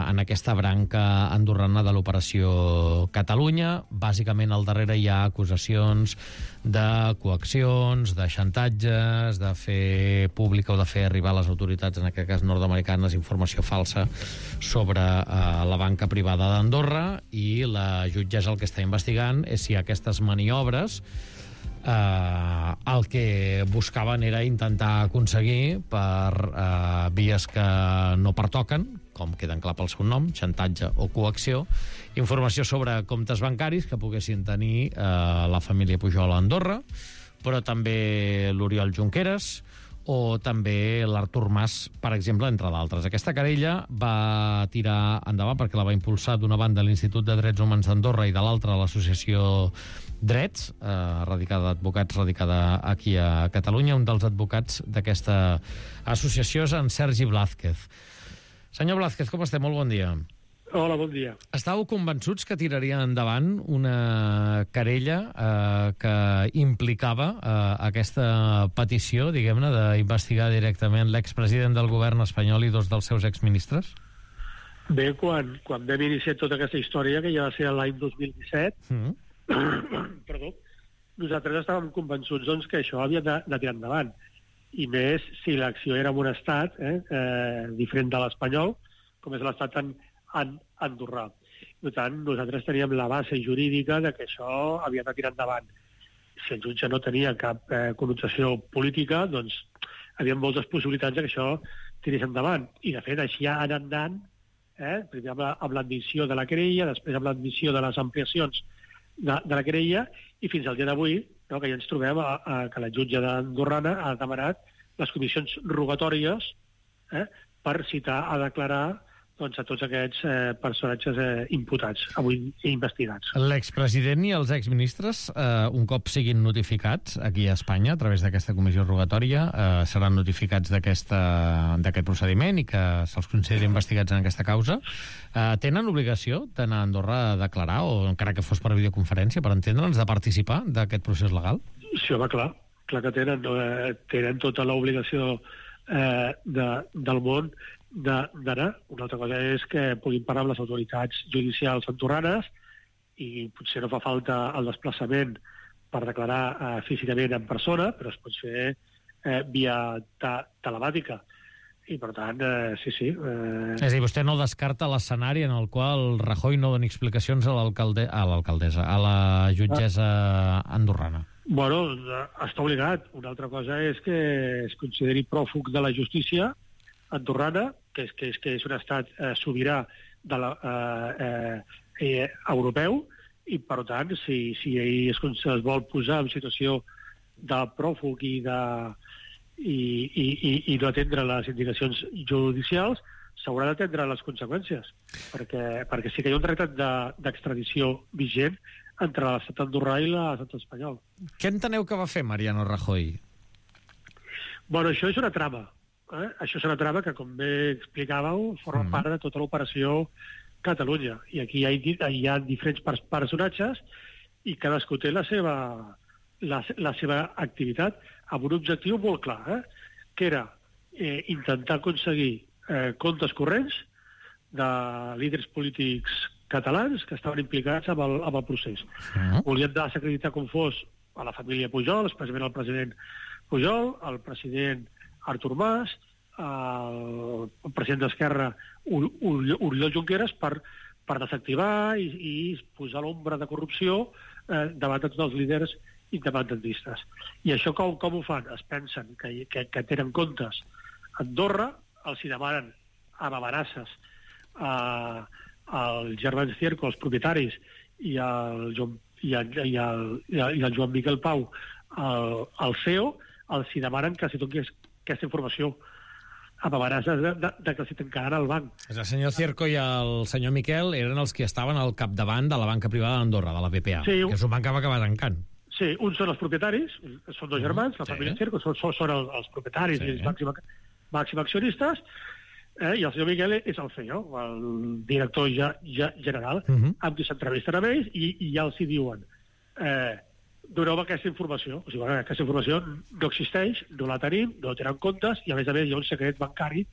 en aquesta branca andorrana de l'Operació Catalunya. Bàsicament, al darrere hi ha acusacions de coaccions, de xantatges, de fer pública o de fer arribar a les autoritats, en aquest cas nord-americanes, informació falsa sobre eh, la banca privada d'Andorra, i la jutgessa el que està investigant és si aquestes maniobres Uh, el que buscaven era intentar aconseguir per uh, vies que no pertoquen, com queden clar pel seu nom, xantatge o coacció, informació sobre comptes bancaris que poguessin tenir uh, la família Pujol a Andorra, però també l'Oriol Junqueras o també l'Artur Mas, per exemple, entre d'altres. Aquesta querella va tirar endavant perquè la va impulsar d'una banda l'Institut de Drets Humans d'Andorra i de l'altra l'associació Drets, eh, radicada d'advocats, radicada aquí a Catalunya. Un dels advocats d'aquesta associació és en Sergi Blázquez. Senyor Blázquez, com estem? Molt bon dia. Hola, bon dia. Estàveu convençuts que tiraria endavant una querella eh, que implicava eh, aquesta petició, diguem-ne, d'investigar directament l'expresident del govern espanyol i dos dels seus exministres? Bé, quan, quan vam iniciar tota aquesta història, que ja va ser l'any dos mil disset, mm. perdó, nosaltres estàvem convençuts doncs, que això havia de, de tirar endavant. I més si l'acció era en un estat eh, eh, diferent de l'espanyol, com és l'estat en, en andorrà. Per tant, nosaltres teníem la base jurídica de que això havia de tirar endavant. Si el jutge no tenia cap eh, connotació política, doncs hi havia moltes possibilitats de que això tirés endavant. I, de fet, així ha anat anant, eh, primer amb, la, amb l'admissió de la querella, després amb l'admissió de les ampliacions de, de la querella, i fins al dia d'avui, no, que ja ens trobem a, a, que la jutge d'Andorrana ha demanat les comissions rogatòries eh, per citar a declarar doncs, a tots aquests eh, personatges eh, imputats, avui investigats. L'expresident i els exministres, eh, un cop siguin notificats aquí a Espanya, a través d'aquesta comissió rogatòria, eh, seran notificats d'aquest procediment i que se'ls consideri investigats en aquesta causa. Eh, tenen obligació d'anar a Andorra a declarar, o encara que fos per videoconferència, per entendre'ns, de participar d'aquest procés legal? Sí, home, clar. Clar que tenen, eh, tenen tota l'obligació eh, de, del món d'anar. Una altra cosa és que puguin parlar amb les autoritats judicials andorranes i potser no fa falta el desplaçament per declarar eh, físicament en persona, però es pot fer eh, via ta telemàtica. I, per tant, eh, sí, sí. Eh... És a dir, vostè no descarta l'escenari en el qual Rajoy no doni explicacions a l'alcalde a l'alcaldessa, a la jutgessa andorrana. Bueno, està obligat. Una altra cosa és que es consideri pròfug de la justícia andorrana, que és, que és, que és un estat eh, sobirà de la, eh, eh, europeu, i, per tant, si, si ell es, es vol posar en situació de pròfug i, de, i, i, i, i no atendre les indicacions judicials, s'haurà d'atendre les conseqüències, perquè, perquè sí que hi ha un tractat d'extradició de, vigent entre l'estat andorrà i l'estat espanyol. Què enteneu que va fer Mariano Rajoy? Bueno, això és una trama. Eh? Això és una trama que, com bé explicàveu, forma mm. part de tota l'operació Catalunya. I aquí hi ha, hi ha diferents personatges i cadascú té la seva, la, la seva activitat amb un objectiu molt clar, eh? que era eh, intentar aconseguir eh, comptes corrents de líders polítics catalans que estaven implicats amb el, amb el procés. Mm. Volien desacreditar com fos a la família Pujol, especialment el president Pujol, el president Artur Mas, el president d'Esquerra Oriol Junqueras, per, per desactivar i, i posar l'ombra de corrupció eh, davant de tots els líders independentistes. I això com, com ho fan? Es pensen que, que, que tenen comptes a Andorra, els hi demanen amb amenaces a, als germans Cierco, els propietaris, i al Joan, i el, i el, i el, i el Joan Miquel Pau, el, el C E O, els hi demanen que si toqués aquesta informació amb amenaces de, de, de que els hi tancaran el banc. El senyor Cierco i el senyor Miquel eren els que estaven al capdavant de la banca privada d'Andorra, de la B P A, sí, que és un banc que va acabar tancant. Sí, uns són els propietaris, són dos germans, la sí. família Cierco, són, són els, els propietaris sí. i els màxims, màxims accionistes, eh, i el senyor Miquel és el C E O, el director ja, ja general, uh -huh. amb qui s'entrevisten amb ells, i, i ja els hi diuen eh, doneu aquesta informació. O sigui, bueno, aquesta informació no existeix, no la tenim, no tenen comptes, i a més a més hi ha un secret bancari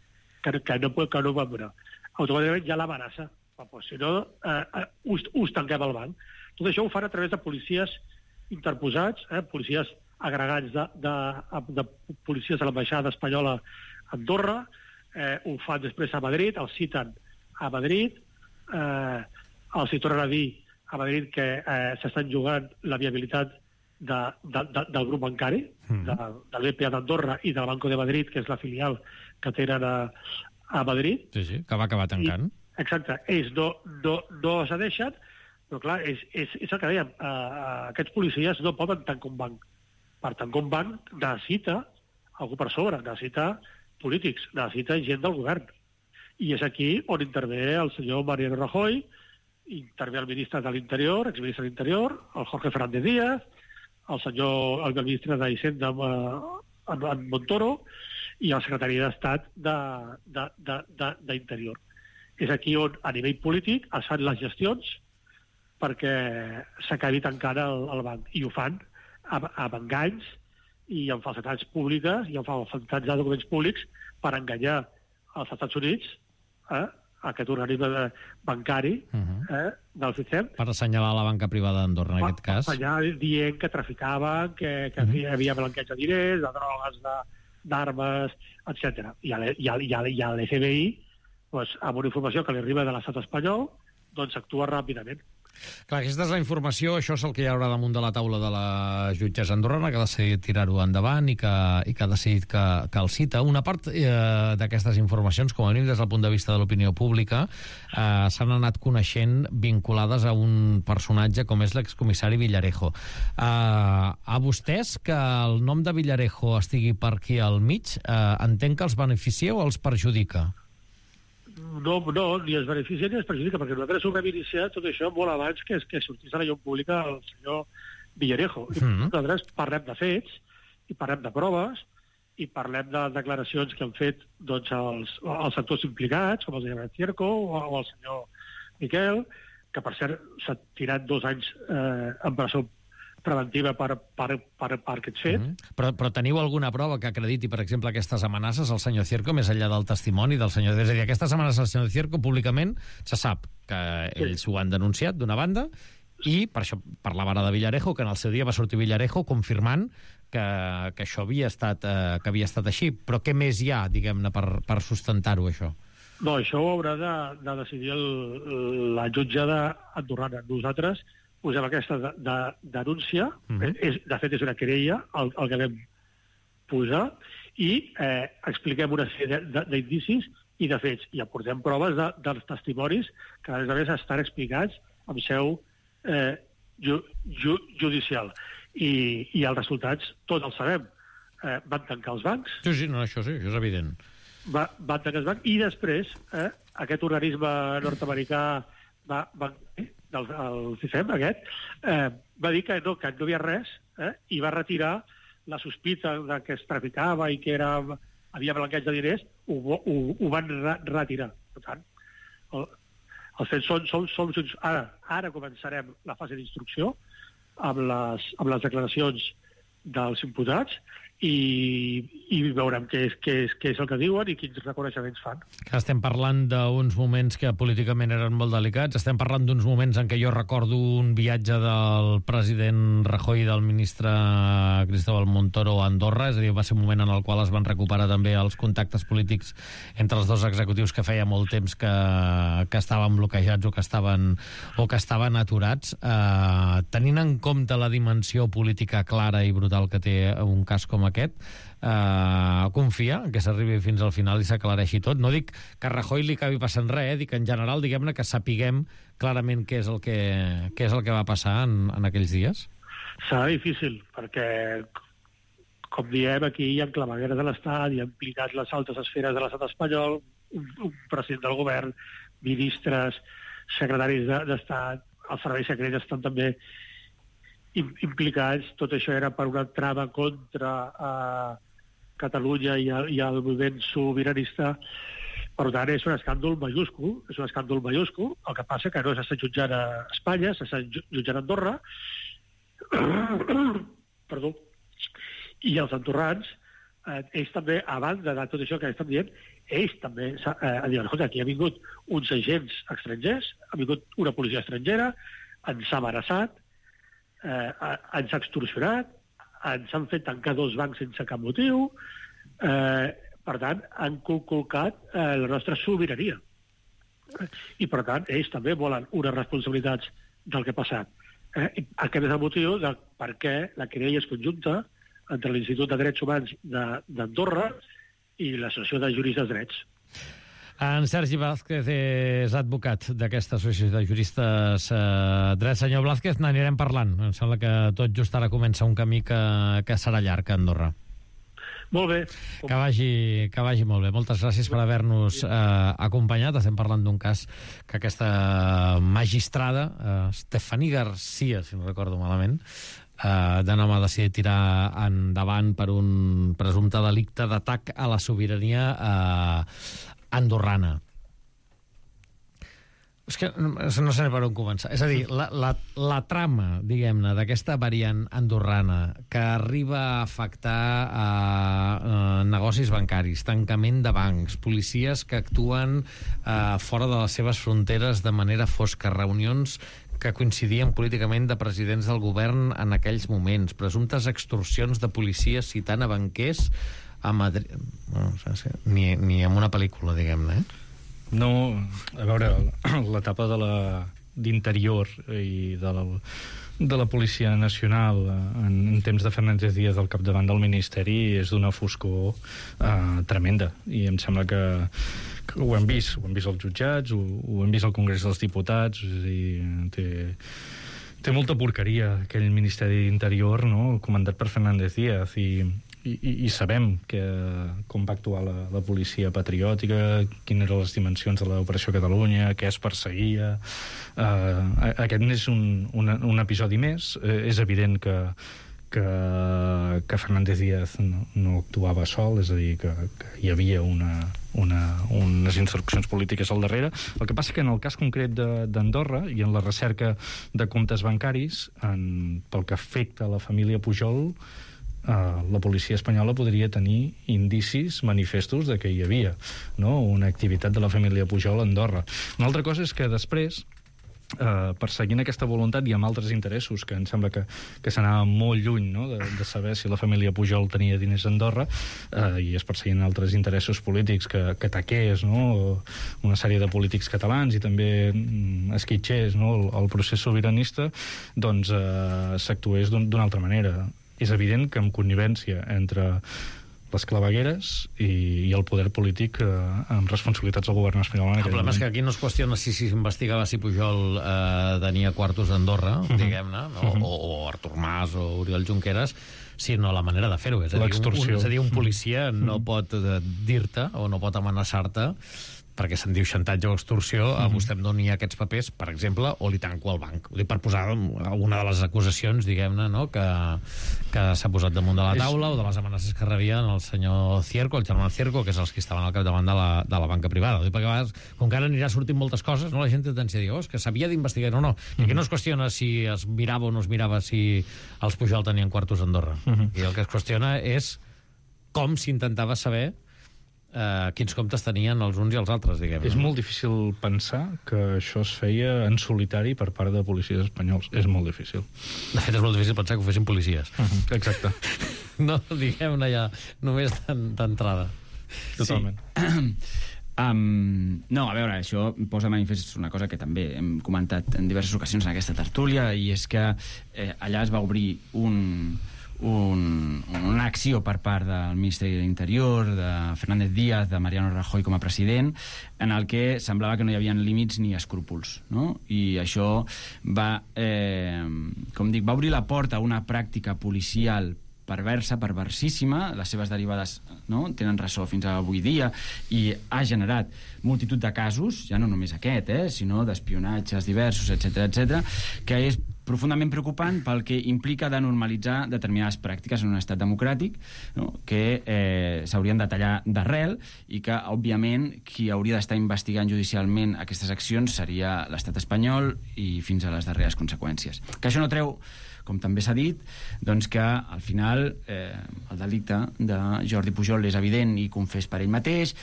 que, que no que no van donar. Automàticament ja l'amenaça. Pues, si no, eh, us, us tanquem el banc. Tot això ho fan a través de policies interposats, eh, policies agregats de, de, de policies de l'ambaixada espanyola a Andorra, eh, ho fan després a Madrid, els citen a Madrid, eh, els hi tornen a dir a Madrid que eh, s'estan jugant la viabilitat de, de, de, del grup bancari, mm. de, del B P A d'Andorra i del Banco de Madrid, que és la filial que tenen a, a Madrid. Sí, sí, que va acabar tancant. I, exacte. Ells no, no, no cedeixen, però clar, és, és, és el que dèiem, uh, aquests policies no poden tancar un banc. Per tancar un banc necessita algú per sobre, necessita polítics, necessita gent del govern. I és aquí on intervé el senyor Mariano Rajoy, intervé el ministre de l'Interior, exministre de l'Interior, el Jorge Fernández Díaz, el senyor el ministre d'Hisenda en, en Montoro i el secretari d'Estat d'Interior. És aquí on, a nivell polític, es fan les gestions perquè s'acabi tancant el, el banc. I ho fan amb, amb enganys i amb falsetats públiques i amb falsetats de documents públics per enganyar als Estats Units, eh, aquest organisme bancari eh, del sistema. Per assenyalar la banca privada d'Andorra, en aquest cas. Per assenyalar dient que traficaven, que, que uh -huh. hi havia blanqueig de diners, de drogues, d'armes, etcètera. I a l'F B I, doncs, amb una informació que li arriba de l'estat espanyol, doncs actua ràpidament. Clar, aquesta és la informació, això és el que hi haurà damunt de la taula de la jutgessa andorrana, que ha decidit tirar-ho endavant i que, i que ha decidit que, que el cita. Una part eh, d'aquestes informacions, com a mínim des del punt de vista de l'opinió pública, eh, s'han anat coneixent vinculades a un personatge com és l'excomissari Villarejo. Eh, a vostès, que el nom de Villarejo estigui per aquí al mig, eh, entenc que els beneficia o els perjudica? No, no, ni es beneficia ni es perjudica, perquè nosaltres ho vam iniciar tot això molt abans que, que sortís a la llum pública el senyor Villarejo. I mm. nosaltres parlem de fets, i parlem de proves, i parlem de declaracions que han fet doncs, els, els sectors implicats, com el senyor Cierco o, o el senyor Miquel, que per cert s'ha tirat dos anys eh, en presó preventiva per, per, per, per aquest fet. Mm -hmm. però, però teniu alguna prova que acrediti, per exemple, aquestes amenaces al senyor Cierco, més enllà del testimoni del senyor... És a dir, aquestes amenaces al senyor Cierco públicament se sap que sí. ells ho han denunciat d'una banda i per això parlava ara de Villarejo, que en el seu dia va sortir Villarejo confirmant que, que això havia estat, eh, que havia estat així. Però què més hi ha, diguem-ne, per, per sustentar-ho, això? No, això ho haurà de, de decidir el, la jutjada andorrana. Nosaltres posem aquesta de, de, denúncia, uh -huh. és, de fet és una querella, el, el que vam posar, i eh, expliquem una sèrie d'indicis i de fets, i aportem proves de, dels testimonis que a més a més estan explicats amb seu eh, ju, ju, judicial. I, I els resultats tots els sabem. Eh, van tancar els bancs. Sí, sí, no, això sí, això és evident. Va, van tancar els bancs, i després eh, aquest organisme nord-americà va, va del el C I F E M aquest, eh, va dir que no, que no hi havia res, eh, i va retirar la sospita de que es traficava i que era, havia blanqueig de diners, ho, ho, ho van re retirar. Per tant, el, els fets són, són, són, són... Ara, ara començarem la fase d'instrucció amb les, amb les declaracions dels imputats i, i veurem què és, què, és, què és el que diuen i quins reconeixements fan. Que estem parlant d'uns moments que políticament eren molt delicats, estem parlant d'uns moments en què jo recordo un viatge del president Rajoy i del ministre Cristóbal Montoro a Andorra, és a dir, va ser un moment en el qual es van recuperar també els contactes polítics entre els dos executius que feia molt temps que, que estaven bloquejats o que estaven, o que estaven aturats. Eh, tenint en compte la dimensió política clara i brutal que té un cas com aquest, eh, confia que s'arribi fins al final i s'aclareixi tot. No dic que a Rajoy li acabi passant res, eh? Dic en general, diguem-ne, que sapiguem clarament què és el que, què és el que va passar en, en aquells dies. Serà difícil, perquè, com diem, aquí hi ha clavegueres de l'Estat, hi ha implicats les altes esferes de l'Estat espanyol, un, un president del govern, ministres, secretaris d'Estat, els serveis secrets estan també implicats. Tot això era per una trama contra eh, Catalunya i el, i el moviment sobiranista. Per tant, és un escàndol majúscul, és un escàndol majúscul. El que passa que no s'està jutjant a Espanya, s'està jutjant a Andorra. Perdó. I els andorrans, eh, ells també, a banda de tot això que estan dient, ells també eh, diuen, escolta, aquí ha vingut uns agents estrangers, ha vingut una policia estrangera, ens ha amenaçat, eh, ens ha extorsionat, ens han fet tancar dos bancs sense cap motiu, eh, per tant, han conculcat eh, la nostra sobirania. I, per tant, ells també volen unes responsabilitats del que ha passat. Eh, aquest és el motiu de per què la querella és conjunta entre l'Institut de Drets Humans d'Andorra i l'Associació de Juristes Drets. En Sergi Blázquez és advocat d'aquesta associació de juristes eh, drets. Senyor Blázquez, n'anirem parlant. Em sembla que tot just ara comença un camí que, que serà llarg a Andorra. Molt bé. Que vagi, que vagi molt bé. Moltes gràcies per haver-nos eh, acompanyat. Estem parlant d'un cas que aquesta magistrada, eh, Estefany Garcia, si no recordo malament, eh, de nom ha decidit tirar endavant per un presumpte delicte d'atac a la sobirania eh, andorrana. És que no sé per on començar. És a dir, la, la, la trama, diguem-ne, d'aquesta variant andorrana que arriba a afectar a, a negocis bancaris, tancament de bancs, policies que actuen a, fora de les seves fronteres de manera fosca, reunions que coincidien políticament de presidents del govern en aquells moments, presumptes extorsions de policies citant a banquers a Madrid... No, ni, ni en una pel·lícula, diguem-ne, eh? No, a veure, l'etapa de la d'interior i de la, de la Policia Nacional en, en temps de Fernández Díaz al capdavant del Ministeri és d'una foscor eh, tremenda, i em sembla que, que ho hem vist, ho hem vist als jutjats, ho, ho hem vist al Congrés dels Diputats, és a dir, té, té molta porqueria aquell Ministeri d'Interior, no?, comandat per Fernández Díaz, i I, i sabem que, com va actuar la, la policia patriòtica, quines eren les dimensions de l'Operació Catalunya, què es perseguia. Uh, aquest és un, un, un episodi més. Uh, és evident que, que, que Fernández Díaz no, no actuava sol, és a dir, que, que hi havia una, una, unes instruccions polítiques al darrere. El que passa que en el cas concret d'Andorra i en la recerca de comptes bancaris, en, pel que afecta a la família Pujol, Uh, la policia espanyola podria tenir indicis manifestos de que hi havia, no?, una activitat de la família Pujol a Andorra. Una altra cosa és que després, uh, perseguint aquesta voluntat i amb altres interessos, que em sembla que, que s'anava molt lluny, no?, de, de saber si la família Pujol tenia diners a Andorra, uh, i es perseguint altres interessos polítics que, que taqués, no?, una sèrie de polítics catalans i també mm, esquitxés, no?, el, el procés sobiranista, doncs uh, s'actués d'una altra manera. És evident que amb connivència entre les clavegueres i, i el poder polític eh, amb responsabilitats del govern espanyol. El problema moment. És que aquí no es qüestiona si s'investigava si Pujol eh, tenia quartos d'Andorra, uh -huh. diguem-ne, no? uh -huh. o, o Artur Mas o Oriol Junqueras, sinó la manera de fer-ho. És, a dir, un, és a dir, un policia no uh -huh. pot dir-te o no pot amenaçar-te perquè se'n diu xantatge o extorsió, a vostè em doni aquests papers, per exemple, o li tanco el banc. Ho dic per posar alguna de les acusacions, diguem-ne, no?, que, que s'ha posat damunt de la taula, o de les amenaces que rebien el senyor Cierco, el germà Cierco, que és els que estaven al capdavant de la, de la banca privada. Ho dic perquè a vegades, com que ara anirà sortint moltes coses, no?, la gent té tendència a dir, oh, és que s'havia d'investigar. No, no. I aquí no es qüestiona si es mirava o no es mirava si els Pujol tenien quartos a Andorra. Uh -huh. I el que es qüestiona és com s'intentava saber Uh, quins comptes tenien els uns i els altres, diguem. És molt difícil pensar que això es feia en solitari per part de policies espanyols. És molt difícil. De fet, és molt difícil pensar que ho fessin policies. Uh -huh. Exacte. No, diguem-ne ja, només d'entrada. Totalment. Sí. Um, no, a veure, això posa de manifest una cosa que també hem comentat en diverses ocasions en aquesta tertúlia, i és que eh, allà es va obrir un... Un, una acció per part del Ministeri de l'Interior, de Fernández Díaz, de Mariano Rajoy com a president, en el que semblava que no hi havia límits ni escrúpols, no? I això va, eh, com dic, va obrir la porta a una pràctica policial perversa, perversissima, les seves derivades, no?, tenen ressò fins a avui dia, i ha generat multitud de casos, ja no només aquest, eh, sinó d'espionatges diversos, etcètera, etcètera, que és profundament preocupant pel que implica de normalitzar determinades pràctiques en un estat democràtic, no?, que eh, s'haurien de tallar d'arrel, i que, òbviament, qui hauria d'estar investigant judicialment aquestes accions seria l'estat espanyol, i fins a les darreres conseqüències. Que això no treu, com també s'ha dit, doncs que al final eh, el delicte de Jordi Pujol és evident i confés per ell mateix,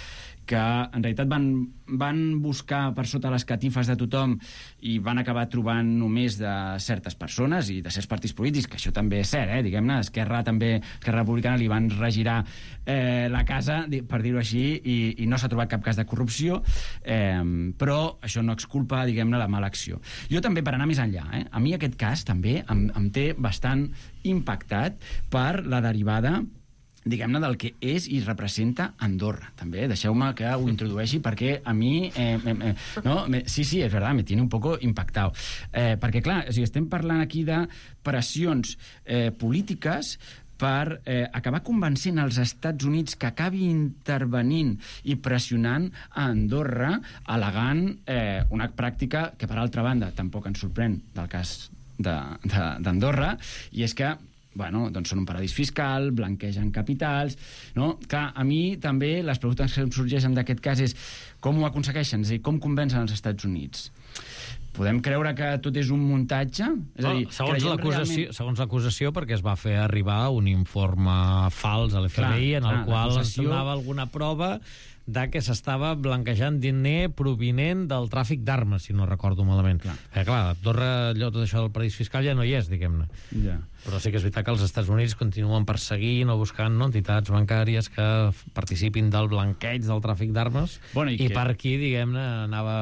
que en realitat van, van buscar per sota les catifes de tothom i van acabar trobant només de certes persones i de certs partits polítics, que això també és cert, eh? Diguem-ne, Esquerra també, Esquerra Republicana li van regirar eh, la casa, per dir-ho així, i, i no s'ha trobat cap cas de corrupció, eh, però això no exculpa, diguem-ne, la mala acció. Jo també, per anar més enllà, eh? A mi aquest cas també em, em té bastant impactat per la derivada, diguem-ne, del que és i representa Andorra, també. Deixeu-me que ho introdueixi perquè a mi, eh, eh, no? sí, sí, és veritat, me tiene un poco impactado. Eh, perquè, clar, o sigui, estem parlant aquí de pressions eh, polítiques per eh, acabar convencent els Estats Units que acabi intervenint i pressionant a Andorra, al·legant eh, una pràctica que, per altra banda, tampoc ens sorprèn del cas d'Andorra, i és que bueno, doncs són un paradís fiscal, blanquegen capitals, no? Clar, a mi també les preguntes que em sorgeixen d'aquest cas és com ho aconsegueixen, és a dir, com convencen els Estats Units? Podem creure que tot és un muntatge? És a dir, no, segons l'acusació, realment... segons l'acusació, perquè es va fer arribar un informe fals a l'F B I en el clar, qual es donava alguna prova de que s'estava blanquejant diner provinent del tràfic d'armes, si no recordo malament. Clar, eh, clar Andorra, allò, tot això del paradís fiscal ja no hi és, diguem-ne. Ja. Però sí que és veritat que els Estats Units continuen perseguint o buscant no, entitats bancàries que participin del blanqueig del tràfic d'armes, bueno, i, i que... per aquí, diguem-ne, anava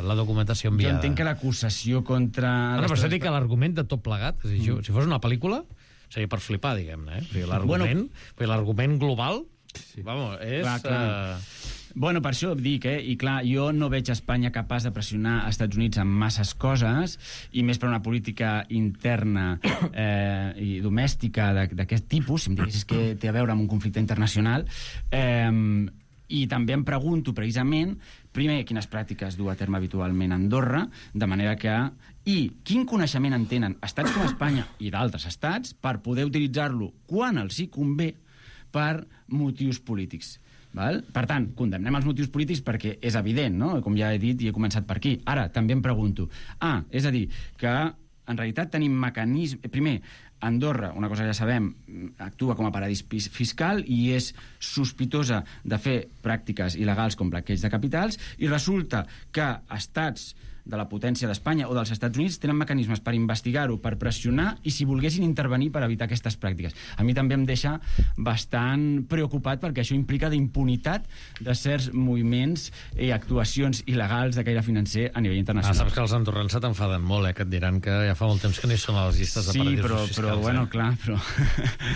la documentació enviada. Jo entenc que l'acusació contra... No, no, però s'ha dit que l'argument de tot plegat, és a dir, mm. si fos una pel·lícula, seria per flipar, diguem-ne, eh? L'argument bueno... l'argument global, sí. Vamos, és... Clar, clar. Uh... Bueno, per això dic, eh? I clar, jo no veig Espanya capaç de pressionar als Estats Units en masses coses, i més per una política interna eh, i domèstica d'aquest tipus, si em diguessis que té a veure amb un conflicte internacional, eh, i també em pregunto, precisament, primer, quines pràctiques du a terme habitualment a Andorra, de manera que... I quin coneixement en tenen estats com Espanya i d'altres estats per poder utilitzar-lo quan els hi convé per motius polítics. Val? Per tant, condemnem els motius polítics perquè és evident, no? Com ja he dit i he començat per aquí. Ara, també em pregunto, ah, és a dir, que en realitat tenim mecanismes... Primer, Andorra, una cosa que ja sabem, actua com a paradís fiscal i és sospitosa de fer pràctiques il·legals com blanqueig de capitals, i resulta que estats de la potència d'Espanya o dels Estats Units tenen mecanismes per investigar-ho, per pressionar i si volguessin intervenir per evitar aquestes pràctiques. A mi també em deixa bastant preocupat perquè això implica d'impunitat de certs moviments i actuacions il·legals de caire financer a nivell internacional. Ah, saps que els andorrans se t'enfaden molt, eh? Que et diran que ja fa molt temps que no hi són a les llistes de sí, paradisos però, fiscals. Sí, però, bueno, eh? clar, però...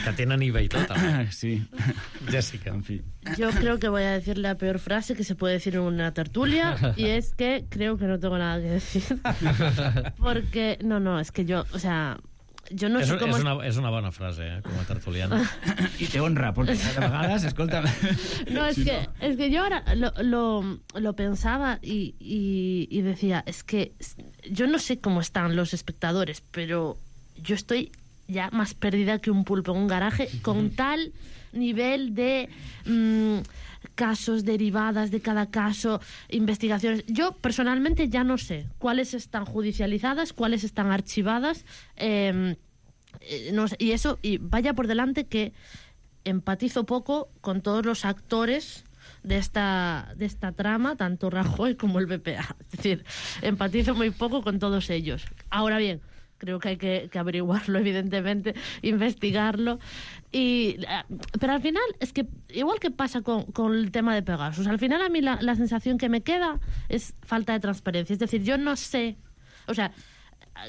Que tenen I V A i tot, eh? Sí. Jessica. En fi. Yo creo que voy a decir la peor frase que se puede decir en una tertulia, y es que creo que no tengo nada que decir. Porque, no, no, es que yo, o sea, yo no és, sé cómo... És una, és una bona frase, eh, com a tertuliana. I te honra, porque de vegades, escolta... No, es, sí, que, no. es que yo ahora lo, lo, lo pensaba y, y, y decía, es que yo no sé cómo están los espectadores, pero yo estoy ya más perdida que un pulpo en un garaje con tal nivel de mmm, casos, derivadas de cada caso, investigaciones. Yo personalmente ya no sé cuáles están judicializadas, cuáles están archivadas, eh, eh, no sé, y eso, y vaya por delante que empatizo poco con todos los actores de esta, de esta trama, tanto Rajoy como el B P A. Es decir, empatizo muy poco con todos ellos. Ahora bien, creo que hay que, que averiguarlo, evidentemente, investigarlo. Y, pero al final, es que igual que pasa con, con el tema de Pegasus, al final a mí la, la sensación que me queda es falta de transparencia. Es decir, yo no sé, o sea,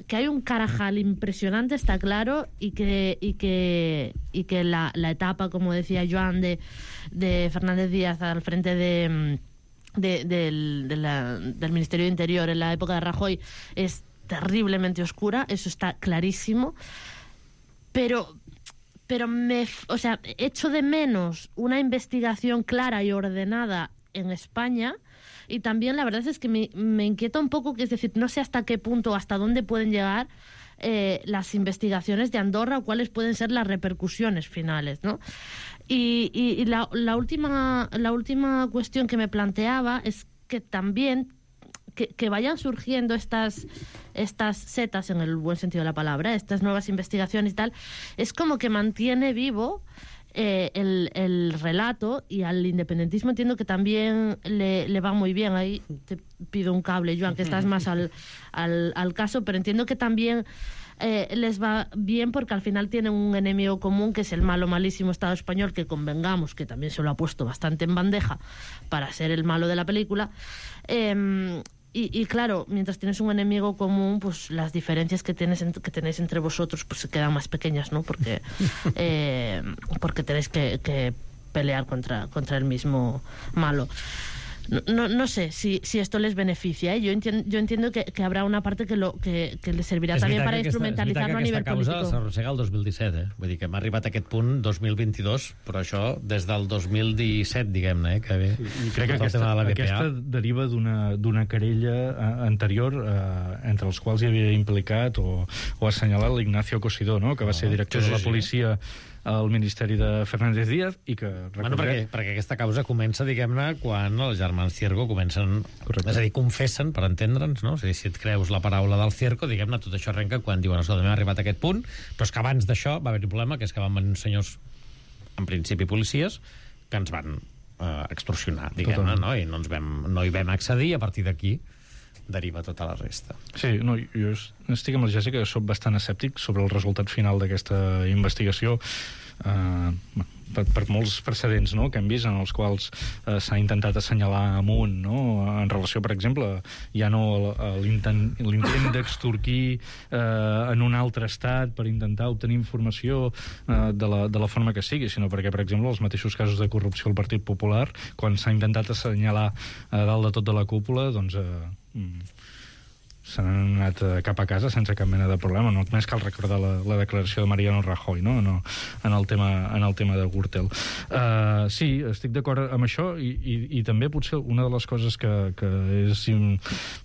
que hay un carajal impresionante, está claro, y que, y que, y que la, la etapa, como decía Joan, de, de Fernández Díaz al frente de, de, del, de la, del Ministerio de Interior en la época de Rajoy es terriblemente oscura, eso está clarísimo, pero pero me, o sea, echo de menos una investigación clara y ordenada en España, y también la verdad es que me, me inquieta un poco, que es decir, no sé hasta qué punto, hasta dónde pueden llegar eh, las investigaciones de Andorra o cuáles pueden ser las repercusiones finales, ¿no? Y, y, y la, la última la última cuestión que me planteaba es que también Que, que vayan surgiendo estas, estas setas, en el buen sentido de la palabra, estas nuevas investigaciones y tal, es como que mantiene vivo eh, el, el relato, y al independentismo entiendo que también le, le va muy bien. Ahí te pido un cable, Joan, que estás más al, al, al caso, pero entiendo que también eh, les va bien porque al final tienen un enemigo común, que es el malo, malísimo Estado español, que convengamos que también se lo ha puesto bastante en bandeja para ser el malo de la película. Eh, Y, y claro, mientras tienes un enemigo común, pues las diferencias que tienes que tenéis entre vosotros pues se quedan más pequeñas, ¿no? Porque eh, porque tenéis que, que pelear contra contra el mismo malo. No, no sé si, si esto les beneficia. ¿eh? Yo, entiendo, yo entiendo que, que habrá una parte que, lo, que, que les servirá también para instrumentalizarlo a nivel político. És veritat que aquesta causa s'arrossega el dos mil disset, eh? Vull dir que m'ha arribat a aquest punt dos mil vint-i-dos, però això des del dos mil disset, diguem-ne, eh? Que bé. I crec que aquesta, de aquesta deriva d'una querella anterior eh, entre els quals hi havia implicat o, o assenyalat l'Ignacio Cosidó, no? Que va ser director sí, sí, de la policia al Ministeri de Fernández Díaz i que... Bueno, perquè, perquè aquesta causa comença, diguem-ne, quan els germans Cierco comencen... Correcte. És a dir, confessen, per entendre'ns, no? És a dir, si et creus la paraula del Cierco, diguem-ne, tot això arrenca quan diuen, escolta, m'ha arribat a aquest punt, però és que abans d'això va haver un problema, que és que van venir uns senyors, en principi policies, que ens van eh, extorsionar, diguem-ne, no? I no, ens vam, no hi vam accedir, i a partir d'aquí deriva tota la resta. Sí, no, jo estic amb la Jessica, que soc bastant escèptic sobre el resultat final d'aquesta investigació, eh, per, per molts precedents, no?, que hem vist en els quals eh, s'ha intentat assenyalar amunt, no?, en relació, per exemple, ja no l'intent d'extorquir eh, en un altre estat per intentar obtenir informació eh, de, la, de la forma que sigui, sinó perquè, per exemple, els mateixos casos de corrupció al Partit Popular, quan s'ha intentat assenyalar a dalt de tot de la cúpula, doncs... Eh, s'han anat cap a casa sense cap mena de problema. Només cal recordar la, la declaració de Mariano Rajoy, no? No, en, el tema, en el tema de Gürtel. Uh, sí, estic d'acord amb això i, i, i també potser una de les coses que, que és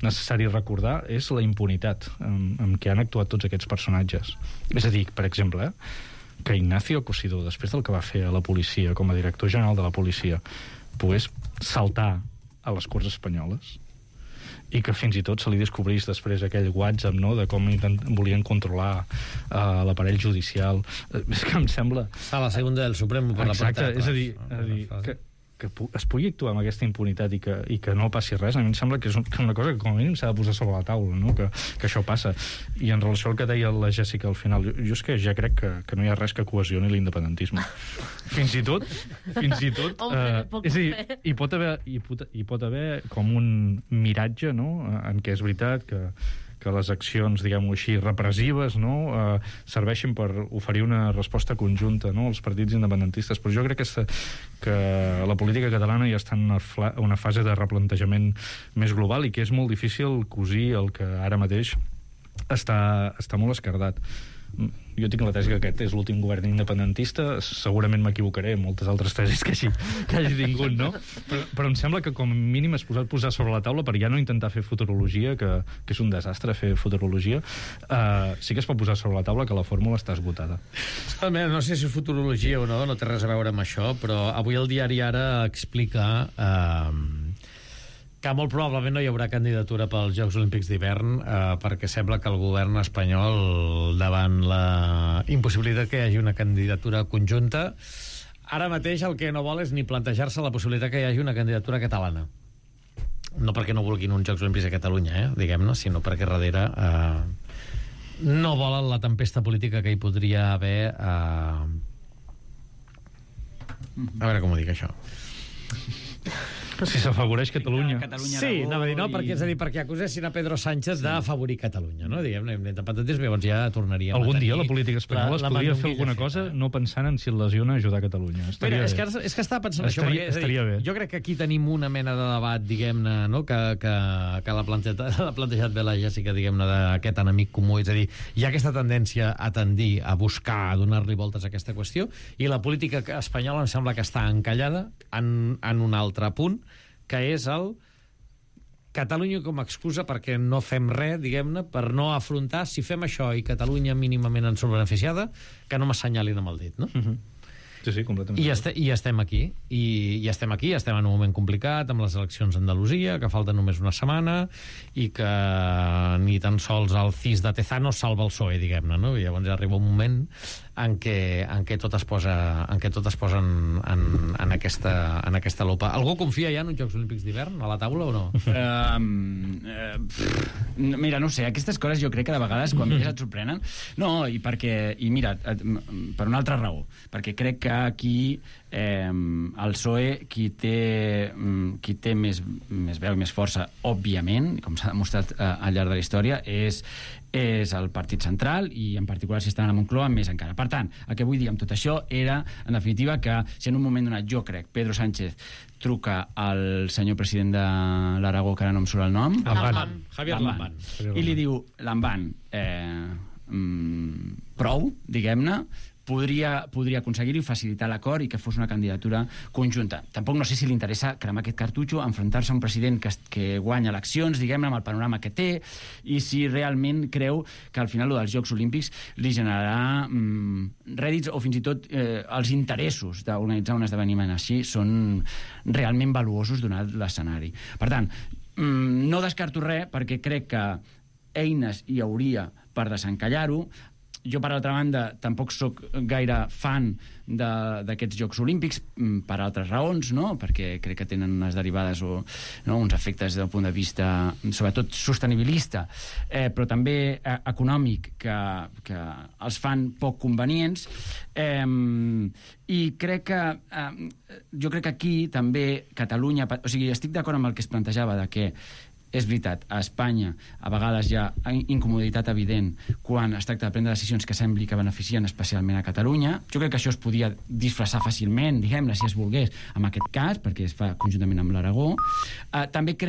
necessari recordar és la impunitat amb, amb què han actuat tots aquests personatges. És a dir, per exemple, eh, que Ignacio Cosidó, després del que va fer a la policia com a director general de la policia, pogués saltar a les Corts Espanyoles i que fins i tot se li descobrís després aquell WhatsApp, no?, de com intent, volien controlar uh, l'aparell judicial. Uh, és que em sembla... A la segunda del Suprem per Exacte, la portada. És a dir, a dir que, que es pugui actuar amb aquesta impunitat i que, i que no passi res, a mi em sembla que és una cosa que com a mínim s'ha de posar sobre la taula, no?, que, que això passa. I en relació al que deia la Jessica al final, jo, jo és que ja crec que, que no hi ha res que cohesioni l'independentisme. Fins i tot, fins i tot... Hombre, uh, és a dir, hi pot, haver, hi, pot, hi pot haver com un miratge, no?, en què és veritat que que les accions, diguem-ho així, repressives, no?, eh, serveixin per oferir una resposta conjunta, no?, als partits independentistes. Però jo crec que, que la política catalana ja està en una, una fase de replantejament més global i que és molt difícil cosir el que ara mateix està, està molt esquerdat. Jo tinc la tesi que aquest és l'últim govern independentista, segurament m'equivocaré en moltes altres tesis que hagi, que hagi tingut, no? Però, però em sembla que com a mínim es posat posar sobre la taula per ja no intentar fer futurologia, que, que és un desastre fer futurologia, uh, sí que es pot posar sobre la taula que la fórmula està esgotada. No sé si és futurologia o no, no té res a veure amb això, però avui el diari Ara explica... Uh, que molt probablement no hi haurà candidatura pels Jocs Olímpics d'hivern eh, perquè sembla que el govern espanyol, davant la impossibilitat que hi hagi una candidatura conjunta, ara mateix el que no vol és ni plantejar-se la possibilitat que hi hagi una candidatura catalana. No perquè no vulguin uns Jocs Olímpics a Catalunya, eh, diguem-ne, sinó perquè darrere eh, no volen la tempesta política que hi podria haver. Eh... A veure com ho dic, això. Si s'afavoreix Catalunya. Catalunya sí, anava a dir, no, perquè, és a dir, perquè acusessin a Pedro Sánchez d'afavorir Catalunya, no? Diguem-ne, l'independentisme, llavors ja tornaríem Algun a tenir... dia la política espanyola la, es podria fer alguna cosa no pensant en si el lesiona ajudar Catalunya. Estaria Mira, és, bé. que, és que estava pensant estaria, això, perquè, estaria dir, bé. Jo crec que aquí tenim una mena de debat, diguem-ne, no?, que, que, que l'ha plantejat, plantejat bé la Jessica, diguem-ne, d'aquest enemic comú, és a dir, hi ha aquesta tendència a tendir a buscar, a donar-li voltes a aquesta qüestió, i la política espanyola em sembla que està encallada en, en un altre punt, que és el Catalunya com a excusa perquè no fem res, diguem-ne, per no afrontar, si fem això i Catalunya mínimament en surt beneficiada, que no m'assenyalin amb el dit, no? Uh-huh. Sí, sí, completament. I, este, I estem aquí, i, i estem aquí, estem en un moment complicat, amb les eleccions a Andalusia, que falta només una setmana, i que ni tan sols el C I S de Tezano salva el P S O E, diguem-ne, no? I llavors ja arriba un moment en què, en què tot es posa, en què tot es posa en, en, en, aquesta, en aquesta lupa. Algú confia ja en uns Jocs Olímpics d'hivern a la taula o no? Um, uh, mira, no sé, aquestes coses jo crec que de vegades quan més et sorprenen. No, i perquè, i mira, per una altra raó, perquè crec que aquí eh, el P S O E qui té, qui té més, més veu i més força, òbviament, com s'ha demostrat eh, al llarg de la història, és, és el Partit Central i en particular si estan a la Moncloa més encara. Per tant, el que vull dir amb tot això era, en definitiva, que si en un moment donat jo crec Pedro Sánchez truca al senyor president de l'Aragó, que ara no em surt el nom, Lamban. Javier Lamban. i li diu, Lamban, eh, mm, prou, diguem-ne, podria, podria aconseguir-ho i facilitar l'acord i que fos una candidatura conjunta. Tampoc no sé si li interessa cremar aquest cartutxo, enfrontar-se a un president que, que guanya eleccions, diguem-ne, amb el panorama que té, i si realment creu que al final lo dels Jocs Olímpics li generarà mm, rèdits o fins i tot eh, els interessos d'organitzar un esdeveniment així són realment valuosos donat l'escenari. Per tant, mm, no descarto res perquè crec que eines hi hauria per desencallar-ho. Jo, per altra banda, tampoc sóc gaire fan d'aquests Jocs Olímpics per altres raons, no? Perquè crec que tenen unes derivades o no? uns efectes del punt de vista sobretot sostenibilista, eh, però també eh, econòmic, que, que els fan poc convenients. Eh, I crec que eh, jo crec que aquí també Catalunya... O sigui, estic d'acord amb el que es plantejava de que és veritat, a Espanya a vegades hi ha incomoditat evident quan es tracta de prendre decisions que sembli que beneficien especialment a Catalunya. Jo crec que això es podia disfressar fàcilment, diguem-ne, si es volgués, en aquest cas, perquè es fa conjuntament amb l'Aragó. Eh, també crec